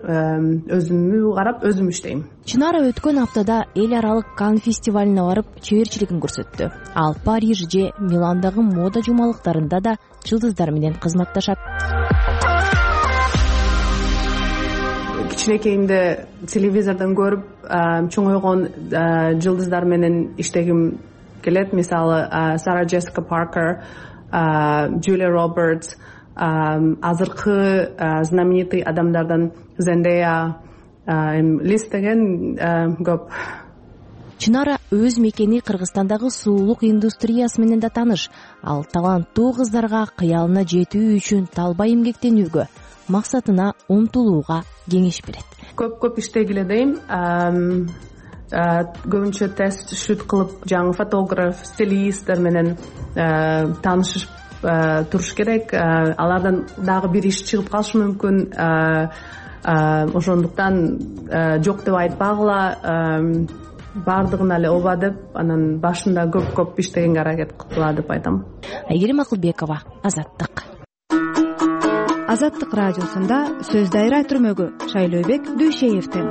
өзүмө карап өзүм иштейм. Чынара өткөн аптада эл аралык Канн фестивалине барып чеберчилигин көрсөттү. Ал Париж же Миландагы мода жумалыктарында да жылдыздар менен кызматташат. Кичинекейимде телевизордон көрүп чоңойгон жылдыздар менен иштегим келет. Мисалы Сара Джессика Паркер, Джулия Робертс, азыркы знаменитый адамдардан Зендея, Лиз деген көп. Чынара өз мекени Кыргызстандагы суулук индустриясы менен да тааныш. Ал таланттуу кыздарга кыялына жетүү үчүн талбай эмгектенүүгө, максатына умтулууга кеңеш берет. Көп иштегиле дейм. Көбүнчө тест шут кылып, жаңы фотограф, стилисттер менен таанышып туруш керек. Алардан дагы бир иш чыгып калышы мүмкүн. Ошондуктан жок деп айтпагыла, баардыгына эле ооба деп, анан башында көп иштегенге аракет кыла деп айтам. Айгерим Акылбекова, Азаттык. Азаттык радиосунда сөз дайра түрмөгү Шайлообек Дүйшеевден.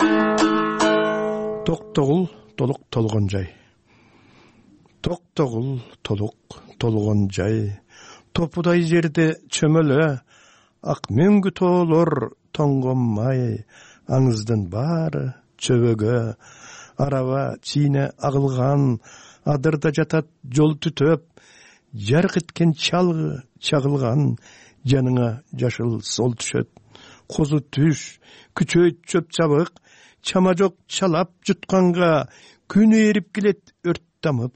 Токтогул толук толгон жай. Токтогул толук толгон жай. Топудай жерде чөмөлө, ак мөңгү тоолор тоңгонмай, аңыздын баары чөбөгө, араба чийне агылган, адырда жатат жол түтөп, жарк эткен чалгы чагылган, жаныңа жашыл сол түшөт. Козу түш, күчөйт чөп чабык, чама жок чалап жутканга, күнү эрип келет өрт тамып,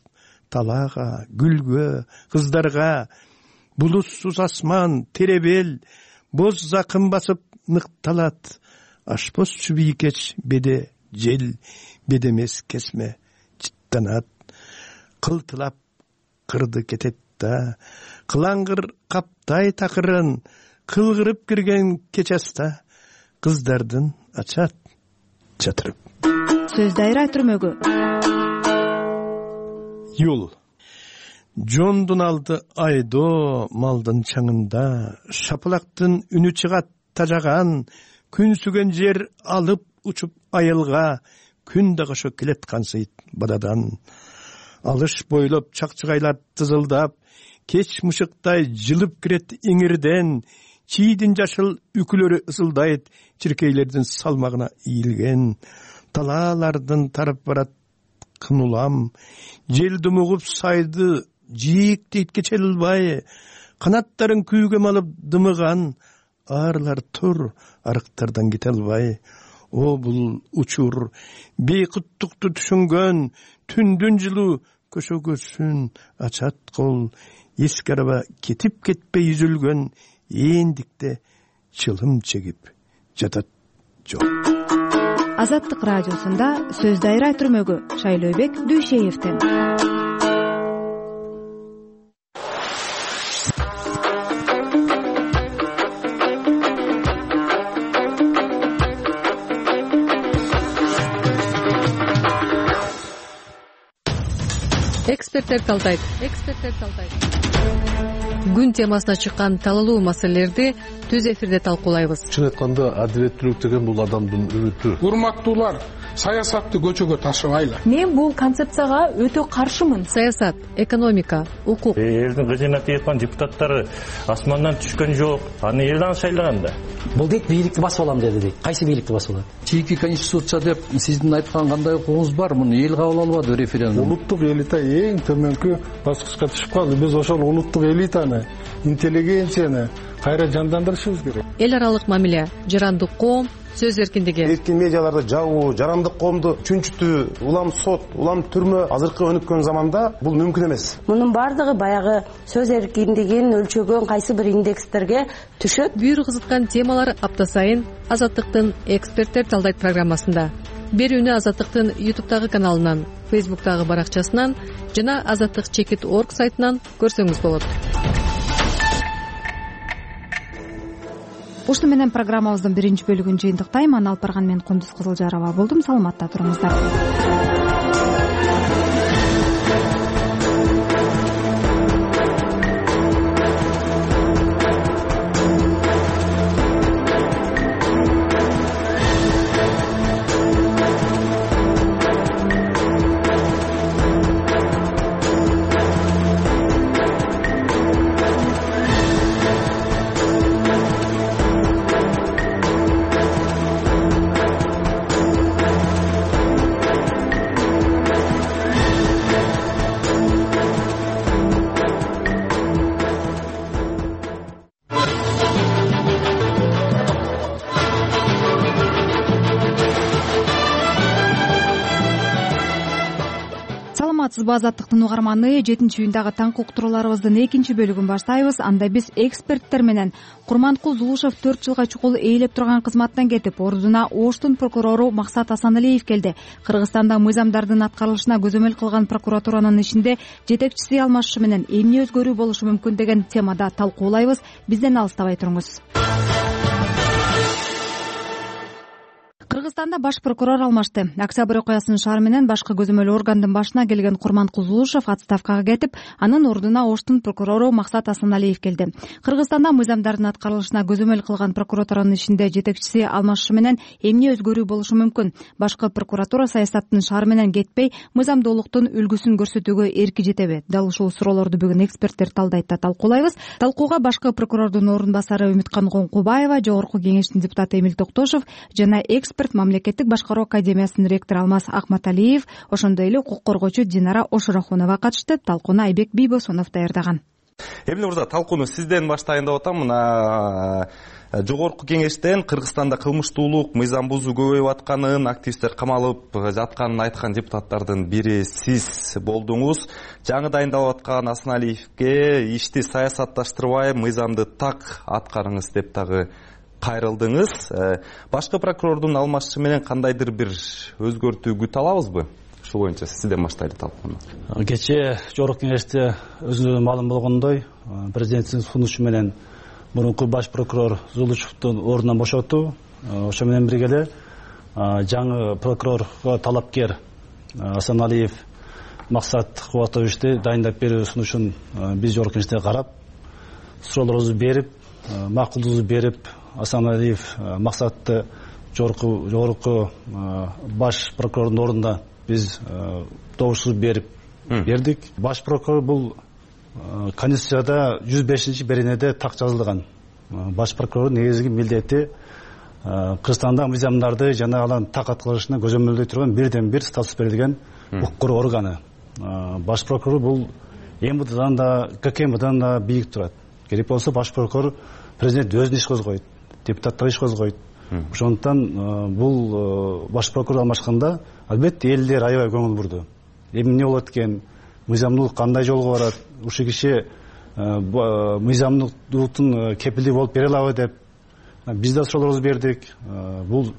талаага, гүлгө, кыздарга, булутсуз асман, теребел, боз закын басып ныкталат. Ашпозчу бийкеч беде жел, бедемес кесме чыттанат. Кылтылап кырды кетет да, кылаңгыр каптай такырын, кылгырып кирген кеч аста, кыздардын ачат чатырып. Сөз дайра түрмөгү. Юл. Жондун алды айдоо малдын чаңында, шапылактын үнү чыгат тажаган, күн сүгөн жер алып учуп айылга, күн да кошо келет кансыйт бададан. Алыш бойлоп чакчыгайлар тызылдап, кеч мышыктай жылып кирет эңирден, чийдин жашыл үкүлөрү ысылдайт чиркейлердин салмагына ийилген. Талаалардын тарып барат кын улам, жел думугуп сайды жийиктейт кечел ылбай, канаттарын күйгө малып дымыган, арлар тур арыктардан кете албай. О бул учур, бейкуттукту түшүнгөн, түндүн жылуу көшөгөсүн ачат кол, эски араба кетип кетпей үзүлгөн, эндикте чылым чегип жатат жол. Азаттык радиосунда сөз дайра түрмөгү Шайлообек Дүйшеевден. Эксперттер талдайт. Күн темасына чыккан талалуу маселелерди түз эфирде талкуулайбыз. Чын айтканда адилеттүүлүк деген бул адамдын үмүтү. Урматтуулар, саясатты көчөгө ташыбайлы. Мен бул концепцияга өтө каршымын. Саясат, экономика, укук. Элдин кызына тиепкан депутаттары асмандан түшкөн жок. Аны элден шайлаган да. Бул дейт бийликти басып алам деди дейт. Кайсы бийликти басып алат? Чийки конституция деп сиздин айткан кандай укугуңуз бар? Муну эл кабыл албады референдум. Улуттук элита эң төмөнкү баскычка түшүп калды. Биз ошол улуттук элитаны, интеллигенцияны кайра жандандырышыбыз керек. Эл аралык мамиле, жарандык коом, сөз эркиндиги. Эркин медиаларды жабуу, жарандык коомду чүнчүтүү, улам сот, улам түрмө азыркы өнүккөн заманда бул мүмкүн эмес. Мунун баардыгы баягы сөз эркиндигин өлчөгөн кайсы бир индекстерге түшөт. Бүйүр кызыткан темалар апта сайын Азаттыктын эксперттер талдайт программасында. Берүүнү Азаттыктын YouTube'дагы каналынан, Facebook'тагы баракчасынан жана azattik.org сайтынан көрсөңүз болот. Ушуну менен программабыздын биринчи бөлүгүн жыйынтыктайм. Аны алып барган мен Кундуз Кызылжарова болдум. Саламатта туруңуздар. Азаттыктын угарманы 7-июндагы таңкы уктурууларыбыздын экинчи бөлүгүн баштайбыз. Анда биз эксперттер менен Курманкул Зулушев 4 жылга чукул ээлеп турган кызматтан кетип, ордуна Оштун прокурору Максат Асаналиев келди. Кыргызстанда мыйзамдардын аткарылышына көзөмөл кылган прокуратуранын ишинде жетекчиси алмашышы менен эмне өзгөрүү болушу мүмкүн деген темада талкуулайбыз. Бизден алыстабай туруңуз. Кыргызстанда баш прокурор алмашты. Октябрь окуясынын шаары менен башкы көзөмөл органдын башына келген Курманкул Зулушев отставкага кетип, анын ордуна Оштун прокурору Максат Асаналиев келди. Кыргызстанда мыйзамдардын аткарылышына көзөмөл кылган прокуратуранын ишинде жетекчиси алмашышы менен эмне өзгөрүү болушу мүмкүн? Башкы прокуратура саясаттын шаары менен кетпей, мыйзамдуулуктун үлгүсүн көрсөтүүгө эрки жетеби? Дал ушул суроолорду бүгүн эксперттер талдайт да талкуулайбыз. Талкууга башкы прокурордун орун басары Үмүткан Коңкубаева, Жогорку Кеңештин депутаты Эмил Токтошов жана Мамлекеттик башкаруу академиясынын ректору Алмаз Акматалиев, ошондой эле укук коргоочу Динара Ошурахунова катышты. Талкууну Айбек Бийбосунов даярдаган. Эмне мырза, талкууну сизден баштайын деп атам. Мына Жогорку Кеңештен Кыргызстанда кылмыштуулук, мыйзам бузуу көбөйүп атканын, активисттер камалып жатканын айткан депутаттардын бири сиз болдуңуз. Жаңы дайындалып аткан Асаналиевке ишти саясатташтырбай, мыйзамды так аткарыңыз деп дагы кайрылдыңыз. Башкы прокурордун алмашышы менен кандайдыр бир өзгөртүү күтө алабызбы? Ушул боюнча сизден баштайлы талкууну. Кечээ Жогорку Кеңеште өзүнүн маалым болгондой, президенттин сунушу менен мурунку баш прокурор Зулушевдун ордунан бошотуу, ошо менен бирге эле жаңы прокурорго талапкер Асаналиев Максат Кубатовичти дайындап берүү сунушун биз Жогорку Кеңеште карап, суроолорубузду берип, макулдугубузду берип, Асаналиев Максатты жогорку баш прокурордун ордуна биз добуш бердик. Баш прокурор бул Конституцияда 105-беренеде так жазылган. Баш прокурордун негизги милдети Кыргызстанда мыйзамдарды жана алардын так аткарылышына көзөмөлдөй турган бирден бир статус берилген укук коргоо органы. Баш прокурор бул МВДдан да, ККМдан да бийик турат. Керек болсо баш прокурор президент өзүнө иш козгойт, депутаттар иш козгойт. Ошондуктан бул баш прокурор алмашканда албетте элдер аябай көңүл бурду. Эмне болот экен, мыйзамдуулук кандай жолго барат, ушул киши мыйзамдуулуктун кепилдиги болуп бере алабы деп биз да суроолорубузду бердик. Бул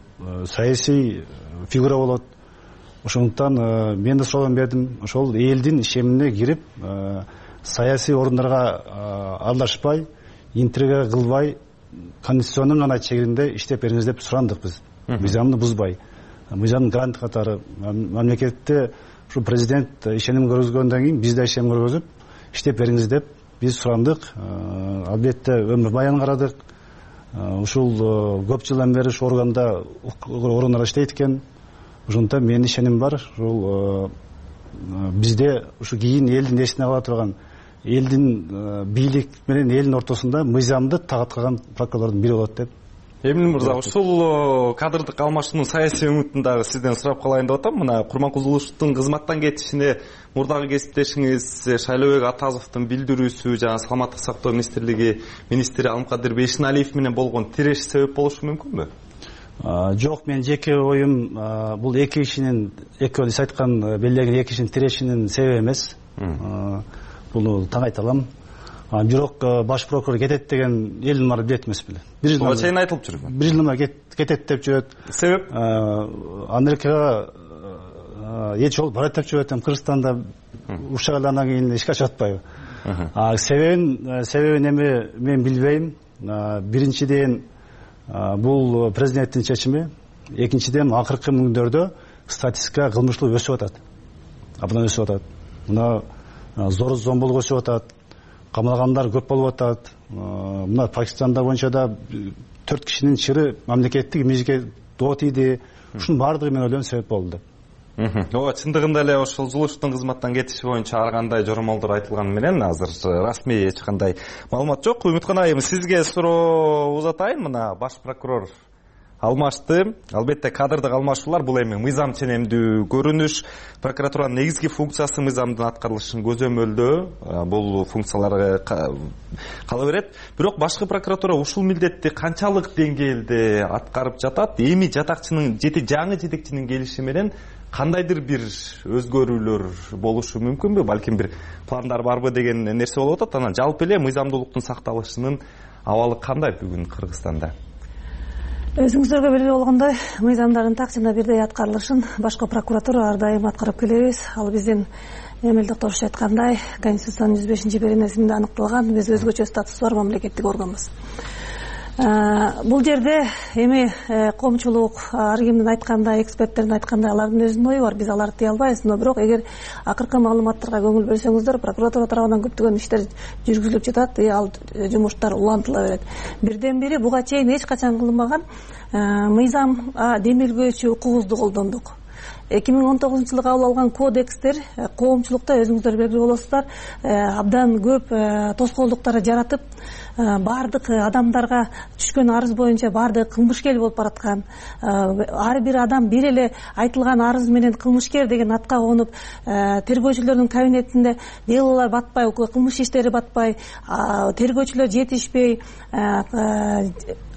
саясий фигура болот. Ошондуктан мен да суроолорумду бердим. Ошол элдин ишемине кирип, саясий орундарга аралашпай, интрига кылбай, конституционун гана чегинде иштеп бериңиз деп сурандык биз. Мыйзамды бузбай. Мыйзамдын гарант катары мамлекетте ушу президент ишеним көргөзгөндөн кийин биз да ишеним көргөзүп иштеп бериңиз деп биз сурандык. Албетте өмүр баян карадык. Ушул көп жылдан бери ушу органда орундар иштейт экен. Ошондуктан менин ишеним бар. Ушул бизде ушу кийин элдин эсине кала турган, элдин бийлик менен элдин ортосунда мыйзамды так аткарган прокурорлордун бири болот деп. Эмне мырза, ушул кадрдык алмашуунун саясий үмүтүн дагы сизден сурап калайын деп атам. Мына Курманкул Зулушевдун кызматтан кетишине мурдагы кесиптешиңиз Шайлообек Атазовдун билдирүүсү жана Саламаттык сактоо министрлиги министри Алымкадыр Бейшеналиев менен болгон тиреши себеп болушу мүмкүнбү? Жок, менин жеке оюм бул эки кишинин, экөө сиз айткан белгилеген эки кишинин тирешинин себеби эмес. Буну таң айта алам. Бирок баш прокурор кетет деген элдин баары билет эмес беле. Буга чейин айтылып жүргөн. Бир жылдан кетет деп жүрөт. Себеп? Америкага эч жол барат деп жүрөт. Кыргызстанда уруш чыгаргандан кийин эчке чыгып атпайбы? Себебин эми мен билбейм. Биринчиден бул президенттин чечими, экинчиден акыркы күндөрдө статистика кылмыштуулук өсүп атат. Абдан өсүп атат. Мына зомбулук өсүп атат. Камалгандар көп болуп атат. Мына Пакистанда боюнча да 4 кишинин чыры мамлекеттик имижге доо тийди. Ушунун баардыгы мен ойлойм себеп болду деп. Ооба, чындыгында эле ошол Зулушевдун кызматтан кетиши боюнча ар кандай жоромолдор айтылганы менен азыр расмий эч кандай маалымат жок. Үмүткан айым, сизге суроо узатайын. Мына баш прокурор алмашты. Албетте кадрдык алмашуулар бул эми мыйзам ченемдүү көрүнүш. Прокуратуранын негизги функциясы мыйзамдын аткарылышын көзөмөлдөө. Бул функциялар кала берет. Бирок башкы прокуратура ушул милдетти канчалык деңгээлде аткарып жатат? Эми жатакчынын жаңы жетекчинин келиши менен кандайдыр бир өзгөрүүлөр болушу мүмкүнбү? Балким бир пландар барбы деген нерсе болуп атат. Анан жалпы эле мыйзамдуулуктун сакталышынын абалы кандай бүгүн Кыргызстанда? Өзүңүздөргө белгилүү болгондой, мыйзамдардын так жана бирдей аткарылышын башкы прокуратура ар дайым аткарып келебиз. Ал биздин Эмил Токтошов айткандай, Конституциянын 105-беренесинде аныкталган, биз өзгөчө статусу бар мамлекеттик органбыз. Бул жерде эми коомчулук ар кимдин айткандай, эксперттердин айткандай, алардын өзүнүн ою бар, биз аларды тие албайбыз. Бирок эгер акыркы маалыматтарга көңүл бөлсөңүздөр, прокуратура тарабынан көптөгөн иштер жүргүзүлүп жатат, ал жумуштар улантыла берет. Бирден бири буга чейин эч качан кылынбаган мыйзам демилгөөчү укугубузду колдондук. 2019-жылы кабыл алган кодекстер коомчулукта өзүңүздөр белгилүү болосуздар, абдан көп тоскоолдуктарды жаратып, баардык адамдарга түшкөн арыз боюнча баардыгы кылмышкер болуп бараткан. Ар бир адам бир эле айтылган арыз менен кылмышкер деген атка конуп, тергөөчүлөрдүн кабинетинде делолор батпай, кылмыш иштери батпай, тергөөчүлөр жетишпей,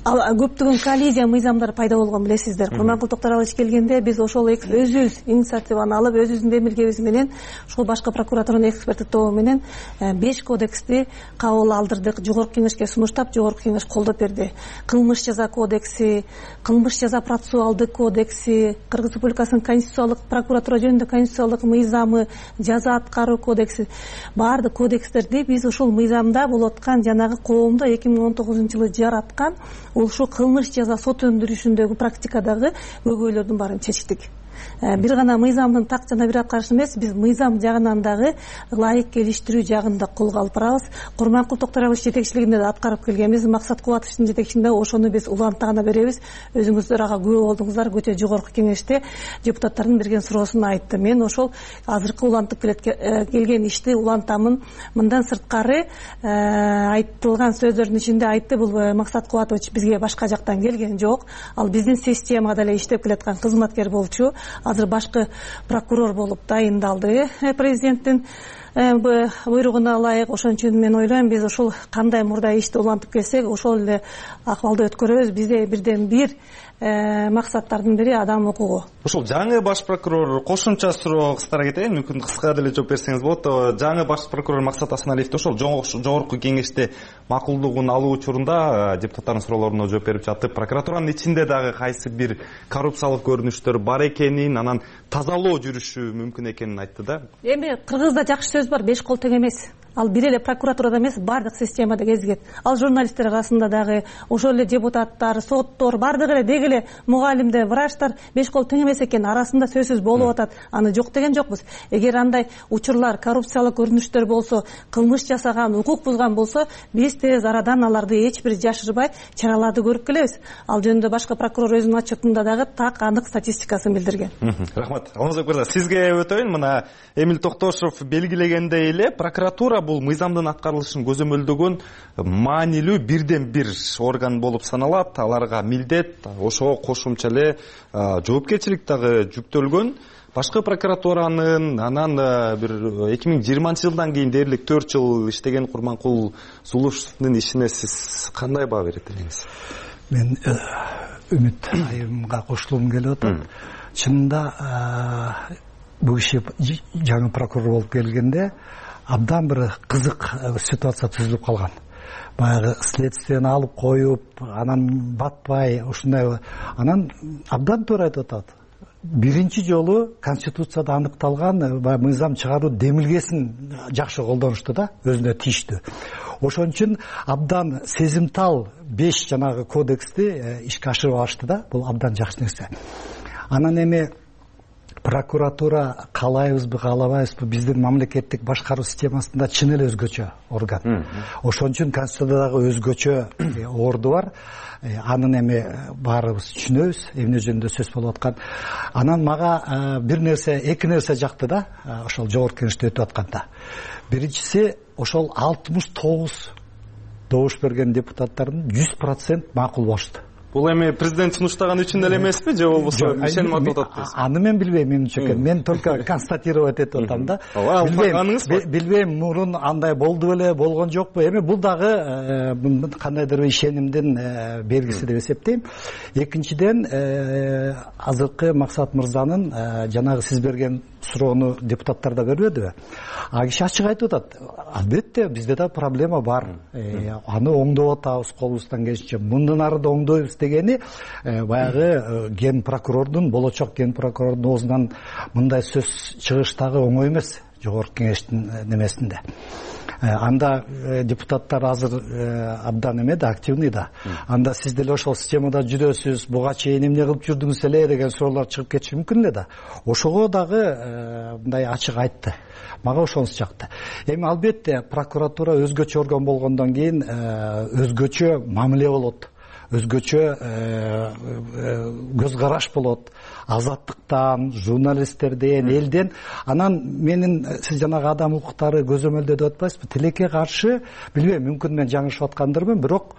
көптөгөн коллизия мыйзамдар пайда болгон билесиздер. Курманкул Токтаралович келгенде биз ошол өзүбүз инициативаны алып, өзүбүздүн демилгебиз менен, ушул башкы прокуратуранын эксперттик тобу менен 5 кодексти кабыл алдырдык, жогорку кеңешке сунуштап, жогорку кеңеш колдоп берди. Кылмыш жаза кодекси, кылмыш жаза процессуалдык кодекси, Кыргыз Республикасынын конституциялык прокуратура жөнүндө конституциялык мыйзамы, жаза аткаруу кодекси, баардык кодекстерди биз ушул мыйзамда болуп аткан жанагы коомдо 2019-жылы жараткан ушул кылмыш жаза сот өндүрүшүндөгү практикадагы көйгөйлөрдүн баарын чечтик. Бир гана мыйзамдын так жана бир аткарышы эмес, биз мыйзам жагынан дагы ылайык келиштирүү жагын да колго алып барабыз. Курманкул Токтаралович жетекчилигинде да аткарып келгенбиз. Максат Кубатовичтин жетекчилигинде ошону биз уланта гана беребиз. Өзүңүздөр ага күбө болдуңуздар. Көчө жогорку кеңеште депутаттардын берген суроосун айтты. Мен ошол азыркы улантып келген ишти улантамын. Мындан сырткары айтылган сөздөрдүн ичинде айтты, бул Максат Кубатович бизге башка жактан келген жок. Ал биздин системада эле иштеп келаткан кызматкер болчу. Азыр башкы прокурор болуп дайындалды президенттин буйругуна ылайык. Ошон үчүн мен ойлойм, биз ушул кандай мурда ишти улантып келсек, ошол эле акыбалды өткөрөбүз. Бизде бирден бир максаттардын бири адам укугу. Ушул жаңы баш прокурор кошумча суроо кыстара кетейин, мүмкүн кыска деле жооп берсеңиз болот. Жаңы баш прокурор Максат Асаналиевди ошол жогорку кеңеште макулдугун алуу учурунда депутаттардын суроолоруна жооп берип жатып, прокуратуранын ичинде дагы кайсы бир коррупциялык көрүнүштөр бар экенин, анан тазалоо жүрүшү мүмкүн экенин айтты да. Эми кыргызда жакшы сөз бар, 5 кол тең эмес. Ал бир эле прокуратурада эмес, бардык системада кезигет. Ал журналисттер арасында дагы, ошол эле депутаттар, соттор, бардыгы эле деги эле мугалимдер, врачтар 5 кол тең эмес экен, арасында сөзсүз болуп атат. Аны жок деген жокпуз. Эгер андай учурлар, коррупциялык көрүнүштөр болсо, кылмыш жасаган, укук бузган болсо, биз тез арадан аларды эч бир жашырбай чараларды көрүп келебиз. Ал жөнүндө башкы прокурор өзүнүн отчетунда дагы так анык статистикасын билдирген. Рахмат. Алмазбек мырза, сизге өтөйүн. Мына Эмил Токтошов белгилегендей эле, прокуратура бул мыйзамдын аткарылышын көзөмөлдөгөн маанилүү бирден бир орган болуп саналат. Аларга милдет, ошого кошумча эле жоопкерчилик дагы жүктөлгөн. Башкы прокуратуранын анан бир 2020-жылдан кийин дээрлик 4 жыл иштеген Курманкул Зулушевдун ишине сиз кандай баа берет элеңиз? Мен Үмүт айымга кошулгум келип атат. Чынында бул киши жаңы прокурор болуп келгенде абдан бир кызык ситуация түзүлүп калган. Баягы следствияны алып коюп, анан батпай ушундай, анан абдан туура айтып атат. Биринчи жолу Конституцияда аныкталган мыйзам чыгаруу демилгесин жакшы колдонушту да, өзүнө тийиштүү. Ошон үчүн абдан сезимтал 5 жанагы кодексти ишке ашырып алышты да, бул абдан жакшы нерсе. Анан эми прокуратура каалайбызбы, каалабайбызбы, биздин мамлекеттик башкаруу системасында чын эле өзгөчө орган. Ошон үчүн Конституциядагы өзгөчө орду бар. Анын эми баарыбыз түшүнөбүз, эмне жөнүндө сөз болуп аткан. Анан мага бир нерсе, эки нерсе жакты да, ошол жогорку кеңеште өтүп атканда. Биринчиси, ошол 69 добуш берген депутаттардын 100% макул болушту. Бул эми президент сунуштаган үчүн эле эмеспи, же болбосо ишеним артып атат дейсиз? Аны мен билбейм, менимче. Мен только констатировать этип атам да. Билбейм, мурун андай болду беле, болгон жокпу. Эми бул дагы кандайдыр бир ишенимдин белгиси деп эсептейм. Экинчиден, азыркы Максат мырзанын жанагы сиз берген суроону депутаттар да бербедиби? А киши ачык айтып атат. Албетте, бизде да проблема бар. Аны оңдоп атабыз колубуздан келишинче. Мындан ары да оңдойбуз дегени баягы ген прокурордун, болочок ген прокурордун оозунан мындай сөз чыгыштагы оңой эмес, жогорку кеңештин немесинде. Анда депутаттар азыр абдан эме да, активный да. Анда сиз деле ошол системада жүрөсүз, буга чейин эмне кылып жүрдүңүз эле деген суроолор чыгып кетиши мүмкүн эле да. Ошого дагы мындай ачык айтты. Мага ошонусу жакты. Эми албетте прокуратура өзгөчө орган болгондон кийин өзгөчө мамиле болот. Өзгөчө көз караш болот. Азаттыктан, журналисттерден, элден. Анан менин сиз жанагы адам укуктары көзөмөлдө деп атпайсызбы? Тилекке каршы, билбейм, мүмкүн мен жаңылышып аткандырмын, бирок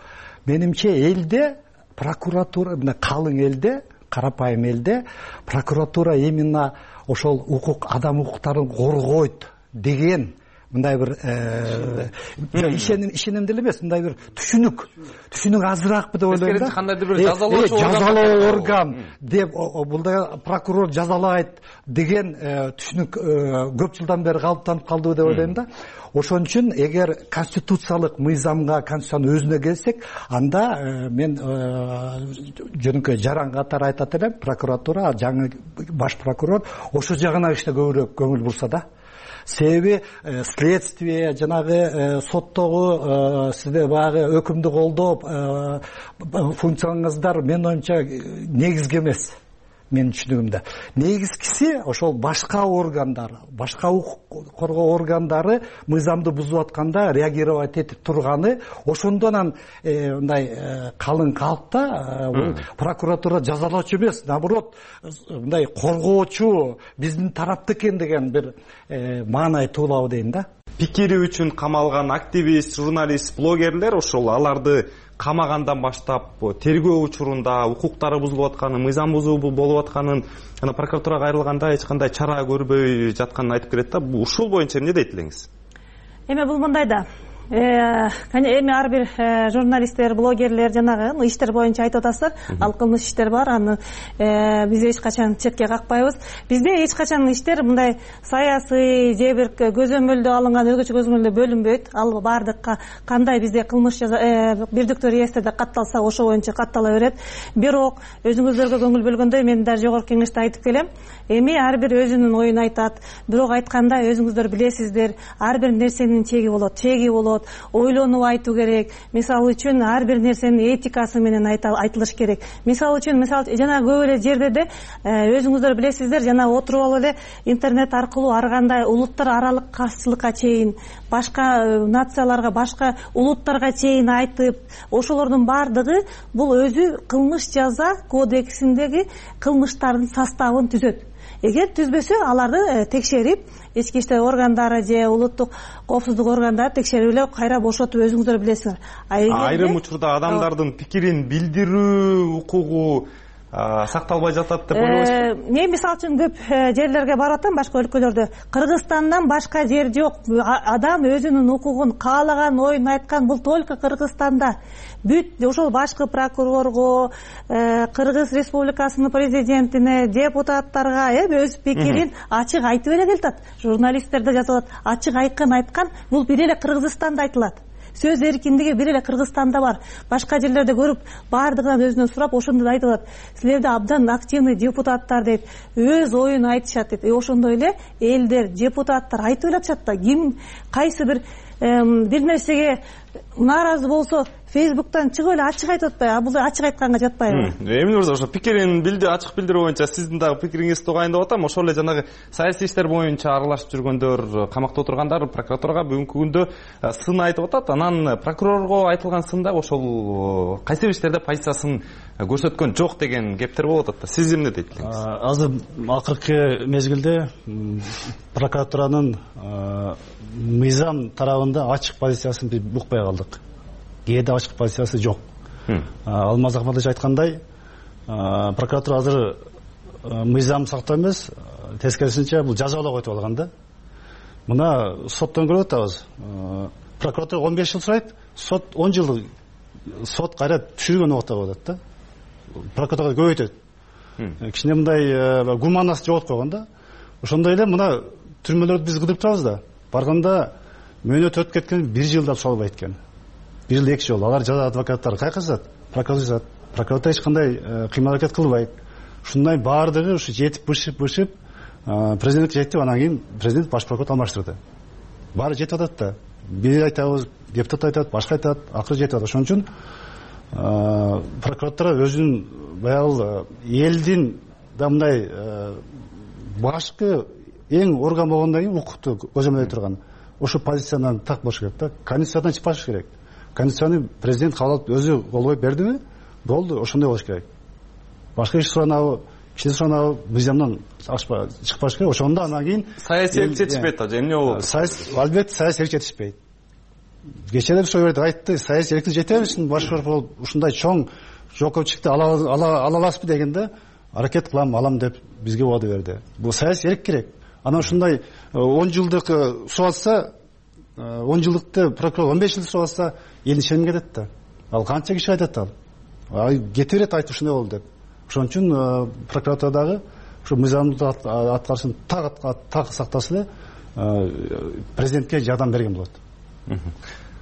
менимче элде прокуратура, мына калың элде, карапайым элде прокуратура именно ошол укук, адам укуктарын коргойт деген мындай бир ишеним деле эмес, мындай бир түшүнүк азыраакпы деп ойлойм да. Кандайдыр бир жазалоо орган деп, бул да прокурор жазалайт деген түшүнүк көп жылдан бери калыптанып калдыбы деп ойлойм да. Ошон үчүн эгер конституциялык мыйзамга, конституциянын өзүнө келсек, анда мен жөнөкөй жаран катары айтат элем, прокуратура, жаңы баш прокурор ошо жагына иште көбүрөөк көңүл бурса да. Себеби следствие, жанагы соттогу сизде баягы өкүмдү колдоп функцияңыздар менин оюмча негизги эмес. Менин түшүнүгүмдө негизгиси ошол башка органдар, башка укук коргоо органдары мыйзамды бузуп атканда реагировать этип турганы, ошондон мындай калың калкта прокуратура жазалоочу эмес, наоборот, мындай коргоочу, биздин тарапта экен деген бир маанай туулабы дейм да. Пикири үчүн камалган активист, журналист, блогерлер ошол аларды камагандан баштап тергөө учурунда укуктары бузулуп атканын, мыйзам бузуу болуп атканын, прокуратурага кайрылганда эч кандай чара көрбөй жатканын айтып келет да. Ушул боюнча эмне дейт элеңиз? Эми бул мындай да. Эми ар бир журналисттер, блогерлер жанагы иштер боюнча айтып атасыздар, ал кылмыш иштер бар, аны биз эч качан четке какпайбыз. Бизде эч качан иштер мындай саясий же бир көзөмөлдө алынган, өзгөчө көзөмөлдө бөлүнбөйт. Ал бардык кандай бизде кылмыш бирдиктүү реестрде катталса, ошо боюнча каттала берет. Бирок өзүңүздөргө көңүл бөлгөндөй мен да жогорку кеңеште айтып келем. Эми ар бир өзүнүн оюн айтат. Бирок айтканда өзүңүздөр билесиздер, ар бир нерсенин чеги болот. Ойлонуп айтуу керек. Мисалы үчүн ар бир нерсенин этикасы менен айтылыш керек. Мисалы үчүн, жана көп эле жерде өзүңүздөр билесиздер, жана отуруп алып эле интернет аркылуу ар кандай улуттар аралык каршылыкка чейин, башка нацияларга, башка улуттарга чейин айтып, ошолордун бардыгы бул өзү кылмыш жаза кодексиндеги кылмыштардын составын түзөт. Эгер түзбөсө, аларды текшерип, ички иштер органдары же улуттук коопсуздук органдары текшерип эле кайра бошотуп өзүңүздөр билесиңер. Айрым учурда адамдардын пикирин билдирүү укугу сакталбай жатат деп ойлойсузбу? Мен мисалы үчүн көп жерлерге барып атам, башка өлкөлөрдө. Кыргызстандан башка жер жок. Адам өзүнүн укугун каалаган оюн айткан, бул только Кыргызстанда. Бүт ошол башкы прокурорго, Кыргыз Республикасынын президентине, депутаттарга өз пикирин ачык айтып эле келатат. Журналисттер да жазып атат, ачык айткан, бул бир эле Кыргызстанда айтылат. Сөз эркиндиги бир эле Кыргызстанда бар. Башка жерлерде көрүп, баардыгынан өзүнөн сурап, ошондо да айтып атат. Силерде абдан активный депутаттар дейт, өз оюн айтышат дейт. Ошондой эле элдер, депутаттар айтып эле атышат да. Ким кайсы бир нерсеге нааразы болсо, Фейсбуктан чыгып эле ачык айтып атпайбы? Бул ачык айтканга жатпайбы? Эмне мырза, ошо пикирин ачык билдирүү боюнча сиздин дагы пикириңизди угайындап атам. Ошол эле жанагы саясий иштер боюнча аралашып жүргөндөр, камакта отургандар прокуратурага бүгүнкү күндө сын айтып атат. Анан прокурорго айтылган сында ошол кайсы бир иштерде позициясын көрсөткөн жок деген кептер болуп атат да. Сиз эмне дейт элеңиз? Азыр акыркы мезгилде прокуратуранын мыйзам тарабында ачык позициясын биз укпай калдык. Кээде ачык позициясы жок. Алмаз Акматович айткандай, прокуратура азыр мыйзам сактоо эмес, тескерисинче бул жазалоого өтүп алган да. Мына соттон көрүп атабыз. Прокуратура 15 жыл сурайт, сот 10 жыл сот кайра түшүргөн убакта болот да. Прокуратура көбөйтөт. Кичине мындай гуманность жоготуп койгон да. Ошондой эле мына түрмөлөрдү биз кыдырып турабыз да. Барганда мөөнөт өтүп кеткен 1 жылда салбайт экен. 1 жыл 2 жыл. Алар жада адвокаттар кайкырсат, прокуратура эч кандай кыймыл аракет кылбайт. Ушундай баардыгы ушу жетип бышып президент жетип, анан кийин президент баш прокурор алмаштырды. Баары жетип атат да. Бир айтабыз, депутат айтат, башка айтат, акыры жетип атат. Ошон үчүн прокуратура өзүнүн баягы элдин да мындай башкы эң орган болгондон кийин укукту көзөмөлдөй турган ошо позициядан так болуш керек да. Конституциядан чыкпаш керек. Конституцияны президент кабыл алып өзү кол коюп бердиби? Болду, ошондой болуш керек. Башка иш суранабы, киши суранабы мыйзамдан чыкпаш керек. Ошондо анан кийин саясий жетишпейт да, эмне болот? Албетте саясий жетишпейт. Кечээ ошо жерде айтты, саясий эркиндик жете берсин, баш прокурор ушундай чоң жоопкерчиликти ала аласызбы дегенде аракет кылам, алам деп бизге убада берди. Бул саясий эрк керек. Анан ушундай 10 жылдык сурап атса, 10 жылдыкты прокурор 15 жыл сурап атса, эл ишенип кетет да. Ал канча киши айтат ал. Кете берет айтып ушундай болду деп. Ошон үчүн прокуратурадагы ушу мыйзамдык аткарышын так сактаса эле президентке жардам берген болот.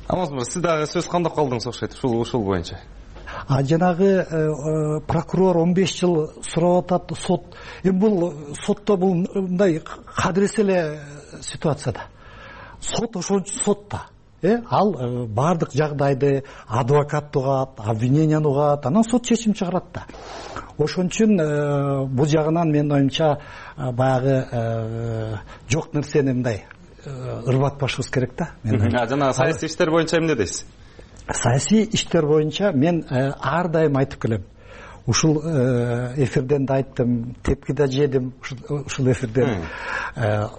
Алмаз мырза, сиз дагы сөз кандап калдыңыз окшойт ушул боюнча? Жанагы прокурор 15 жыл сурап атат, сот. Эми бул сотто бул мындай кадыресе эле ситуацияда. Сот ошон сот да. Ал бардык жагдайды адвокат угат, обвиненияны угат, анан сот чечим чыгарат да. Ошон үчүн бул жагынан менин оюмча баягы жок нерсени мындай ырбатпашыбыз керек да. Жана саясий иштер боюнча эмне дейсиз? Саясий иштер боюнча мен ар дайым айтып келем. Ушул эфирден да айттым, тепки да жедим ушул эфирден.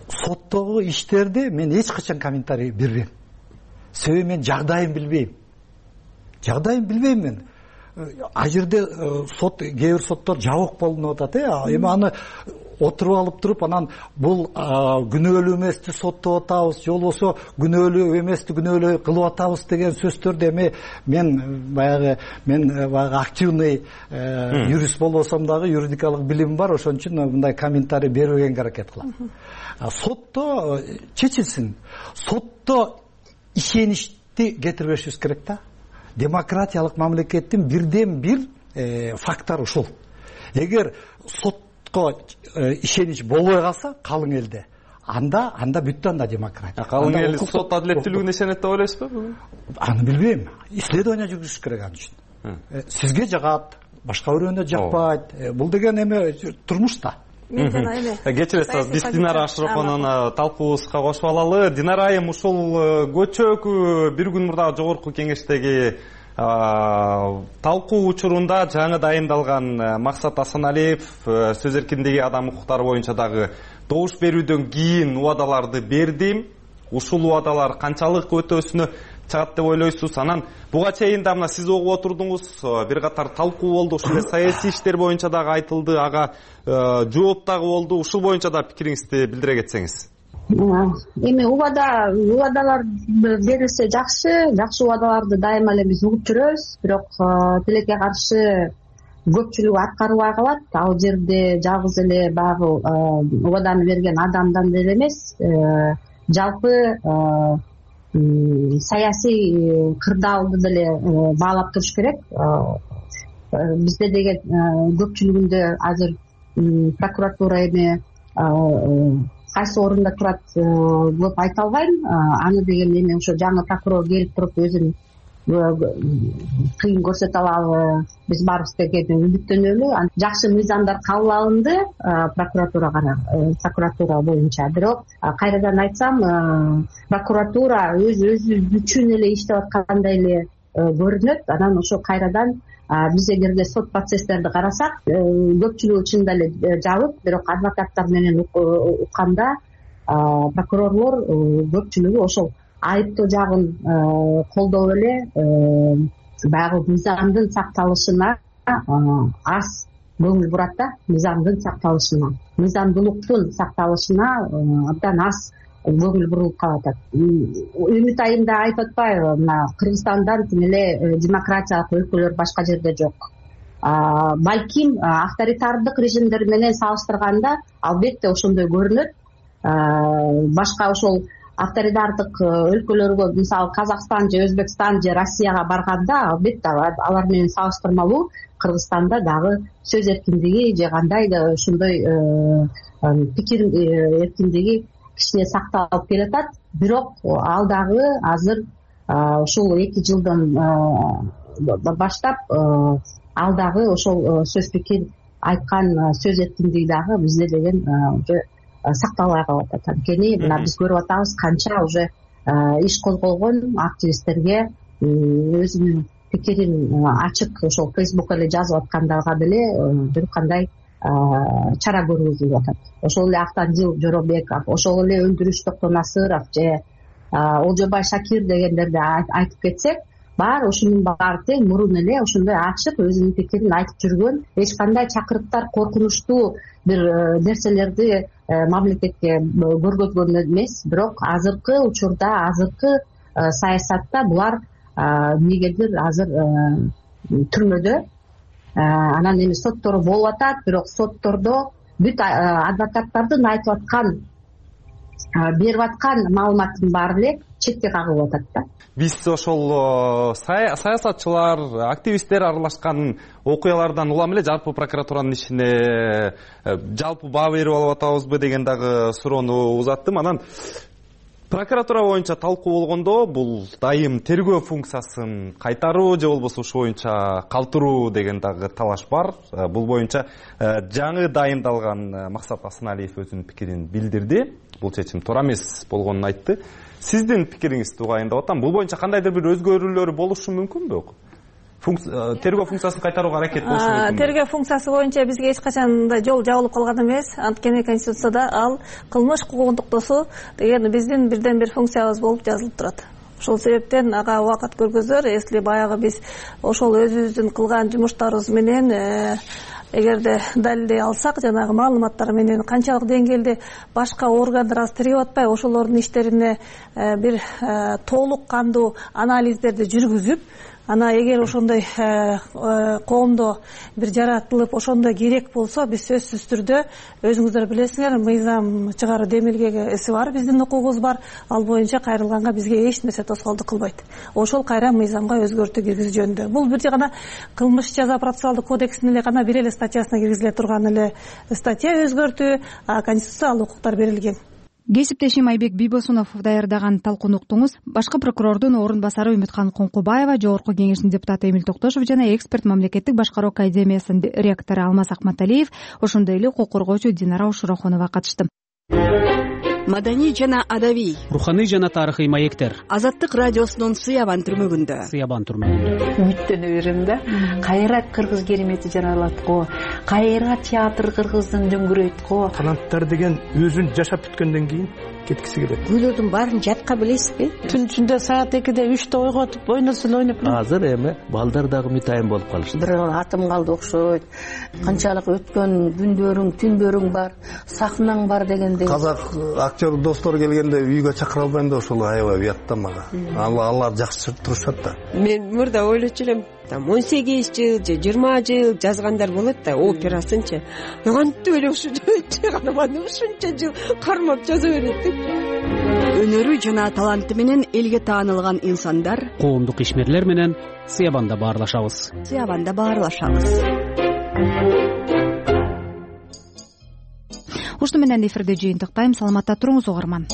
Соттогу иштерди мен эч качан комментарий бербейм. Себеби мен жагдайын билбейм мен. А жерде сот, кээ бир соттор жабык болуп атат, эми аны отуруп алып туруп, анан бул күнөөлүү эмести соттоп атабыз, же болбосо күнөөлүү эмести күнөөлүү кылып атабыз деген сөздөрдү эми мен баягы активный юрист болбосом дагы юридикалык билимим бар, ошон үчүн мындай комментарий бербегенге аракет кылам. Сотто чечилсин. Сотто ишеничти кетирбешибиз керек да. Демократиялык мамлекеттин бирден бир фактору ушул. Эгер сотко ишенич болбой калса калың элде, анда бүттү, анда демократия. Калың эл сот адилеттүүлүгүнө ишенет деп ойлойсузбу? Аны билбейм. Исследование жүргүзүш керек ан үчүн. Сизге жагат, башка бирөөнө жакпайт. Бул деген эме турмушта. Кечиресиз, биз Динара Ашыроповну талкуубузга кошуп алалы. Динара айым, ушул көчөкү бир күн мурда жогорку кеңештеги талкуу учурунда жаңы дайындалган Максат Асаналиев сөз эркиндиги адам укуктары боюнча дагы добуш берүүдөн кийин убадаларды берди. Ушул убадалар канчалык өтөсүнө чыгат деп ойлойсуз? Анан буга чейин да мына сиз угуп отурдуңуз, бир катар талкуу болду, ушул саясий иштер боюнча дагы айтылды, ага жооп дагы болду. Ушул боюнча да пикириңизди билдире кетсеңиз. Эми убадалар берилсе жакшы убадаларды дайыма эле биз угуп жүрөбүз, бирок тилекке каршы көпчүлүгү аткарбай калат. Ал жерде жалгыз эле баягы убаданы берген адамдан деле эмес, жалпы саясий кырдаалды деле баалап туруш керек. Бизде деген көпчүлүгүндө азыр прокуратура эми кайсы орунда турат көп айта албайм. Аны деген эми ошо жаңы прокурор келип туруп өзүн кыйын көрсөтө алабы, биз баарыбыз деген үмүттөнөлү. Жакшы мыйзамдар кабыл алынды прокуратура боюнча, бирок кайрадан айтсам, прокуратура өзү үчүн эле иштеп аткандай эле көрүнөт. Анан ошо кайрадан биз эгерде сот процесстерди карасак, көпчүлүгү чынында эле жабык, бирок адвокаттар менен укканда прокурорлор көпчүлүгү ошол айыптоо жагын колдоп эле баягы мыйзамдын сакталышына аз көңүл бурат да, мыйзамдуулуктун сакталышына абдан аз көңүл бурулуп калып атат. Үмүт айымда айтып атпайбы, мына Кыргызстандан тим эле демократиялык өлкөлөр башка жерде жок. Балким авторитардык режимдер менен салыштырганда албетте ошондой көрүнөт. Башка ошол авторитардык өлкөлөргө, мисалы Казакстан же Өзбекстан же Россияга барганда албетте алар менен салыштырмалуу Кыргызстанда дагы сөз эркиндиги же кандай да ошондой пикир эркиндиги кичине сакталып келатат. Бирок ал дагы азыр ушул 2 жылдан баштап ал дагы ошол сөз пикир айткан сөз эркиндиги дагы бизде деген уже сакталбай калып атат. Анткени мына биз көрүп атабыз канча уже иш козголгон активисттерге өзүнүн пикирин ачык ошол Фейсбукка эле жазып аткандарга деле бир кандай чара көргөзүлүп атат. Ошол эле Автандил Жоробеков, ошол эле Өндүрүш Токтонасыров же Олжобай Шакир дегендерди айтып кетсек, баары ушунун баары тең мурун эле ошондой ачык өзүнүн пикирин айтып жүргөн, эч кандай чакырыктар, коркунучтуу бир нерселерди мамлекетке көргөзгөн эмес. Бирок азыркы учурда, азыркы саясатта булар эмнегедир азыр түрмөдө. Анан эми соттору болуп атат, бирок соттордо бүт адвокаттардын айтып аткан, берип аткан маалыматтын баары эле четке кагылып атат да. Биз ошол саясатчылар, активисттер аралашкан окуялардан улам эле жалпы прокуратуранын ишине жалпы баа берип алып атабызбы деген дагы суроону узаттым. Анан прокуратура боюнча талкуу болгондо бул дайым тергөө функциясын кайтаруу же болбосо ушул боюнча калтыруу деген дагы талаш бар. Бул боюнча жаңы дайындалган Максат Асаналиев өзүнүн пикирин билдирди. Бул чечим туура эмес болгонун айтты. Сиздин пикириңизди угайындап атам. Бул боюнча кандайдыр бир өзгөрүүлөр болушу мүмкүнбү? Тергөө функциясын кайтарууга аракет болушу мүмкүнбү? Тергөө функциясы боюнча бизге эч качан да жол жабылып калган эмес. Анткени Конституцияда ал кылмыш кукугун токтосуу деген биздин бирден бир функциябыз болуп жазылып турат. Ошол себептен ага убакыт көргөзөр. Если баягы биз ошол өзүбүздүн кылган жумуштарыбыз менен эгерде далилдей алсак, жанагы маалыматтар менен канчалык деңгээлде башка органдар азыр тергеп атпайбы, ошолордун иштерине бир толук кандуу анализдерди жүргүзүп, ана эгер ошондой коомдо бир жаратылып ошондой керек болсо, биз сөзсүз түрдө өзүңүздөр билесиңер, мыйзам чыгаруу демилгеси бар, биздин укугубуз бар. Ал боюнча кайрылганга бизге эч нерсе тоскоолдук кылбайт. Ошол кайра мыйзамга өзгөртүү киргизүү жөнүндө. Бул бир гана кылмыш жаза процессуалдык кодексинин эле гана бир эле статьясына киргизиле турган эле статья өзгөртүү, Конституцияда ал укуктар берилген. Кесиптешим Айбек Бийбосунов даярдаган талкууну уктуңуз. Башкы прокурордун орун басары Үмүткан Коңкубаева, Жогорку Кеңештин депутаты Эмил Токтошов жана эксперт мамлекеттик башкаруу академиясынын ректору Алмаз Акматалиев, ошондой эле укук коргоочу Динара Ушурахунова катышты. маданий жана адабий, руханий жана тарыхый маектер. Азаттык радиосунун Сыябан түрмөгүндө. Үмүттөнө берем да. Кайра кыргыз керемети жаралат го. Кайра театр кыргыздын дөңгүрөйт го. Таланттар деген өзүн жашап бүткөндөн кийин кеткиси келет. Күйлөрдүн баарын жатка билесизби? Түн ичинде саат 2-де 3-те ойготуп ойносун ойноп. Азыр эми балдар дагы мытайын болуп калышты. Бир атым калды окшойт. Канчалык өткөн күндөрүң, түндөрүң бар, сахнаң бар дегендей. Казак актер достор келгенде үйгө чакыра албайм да ошол аябай уятта мага. Алар жакшы турушат да. Мен мурда ойлочу элем, 18 жыл же 20 жыл жазгандар болот да, операсынчы. Кантип эле ушунча жыл кармап жаза берет. Өнөрү жана таланты менен элге таанылган инсандар, коомдук ишмерлер менен Сыябанда баарлашабыз. Ушуну менен эфирде жыйынтыктайм. Саламатта туруңуз угарман.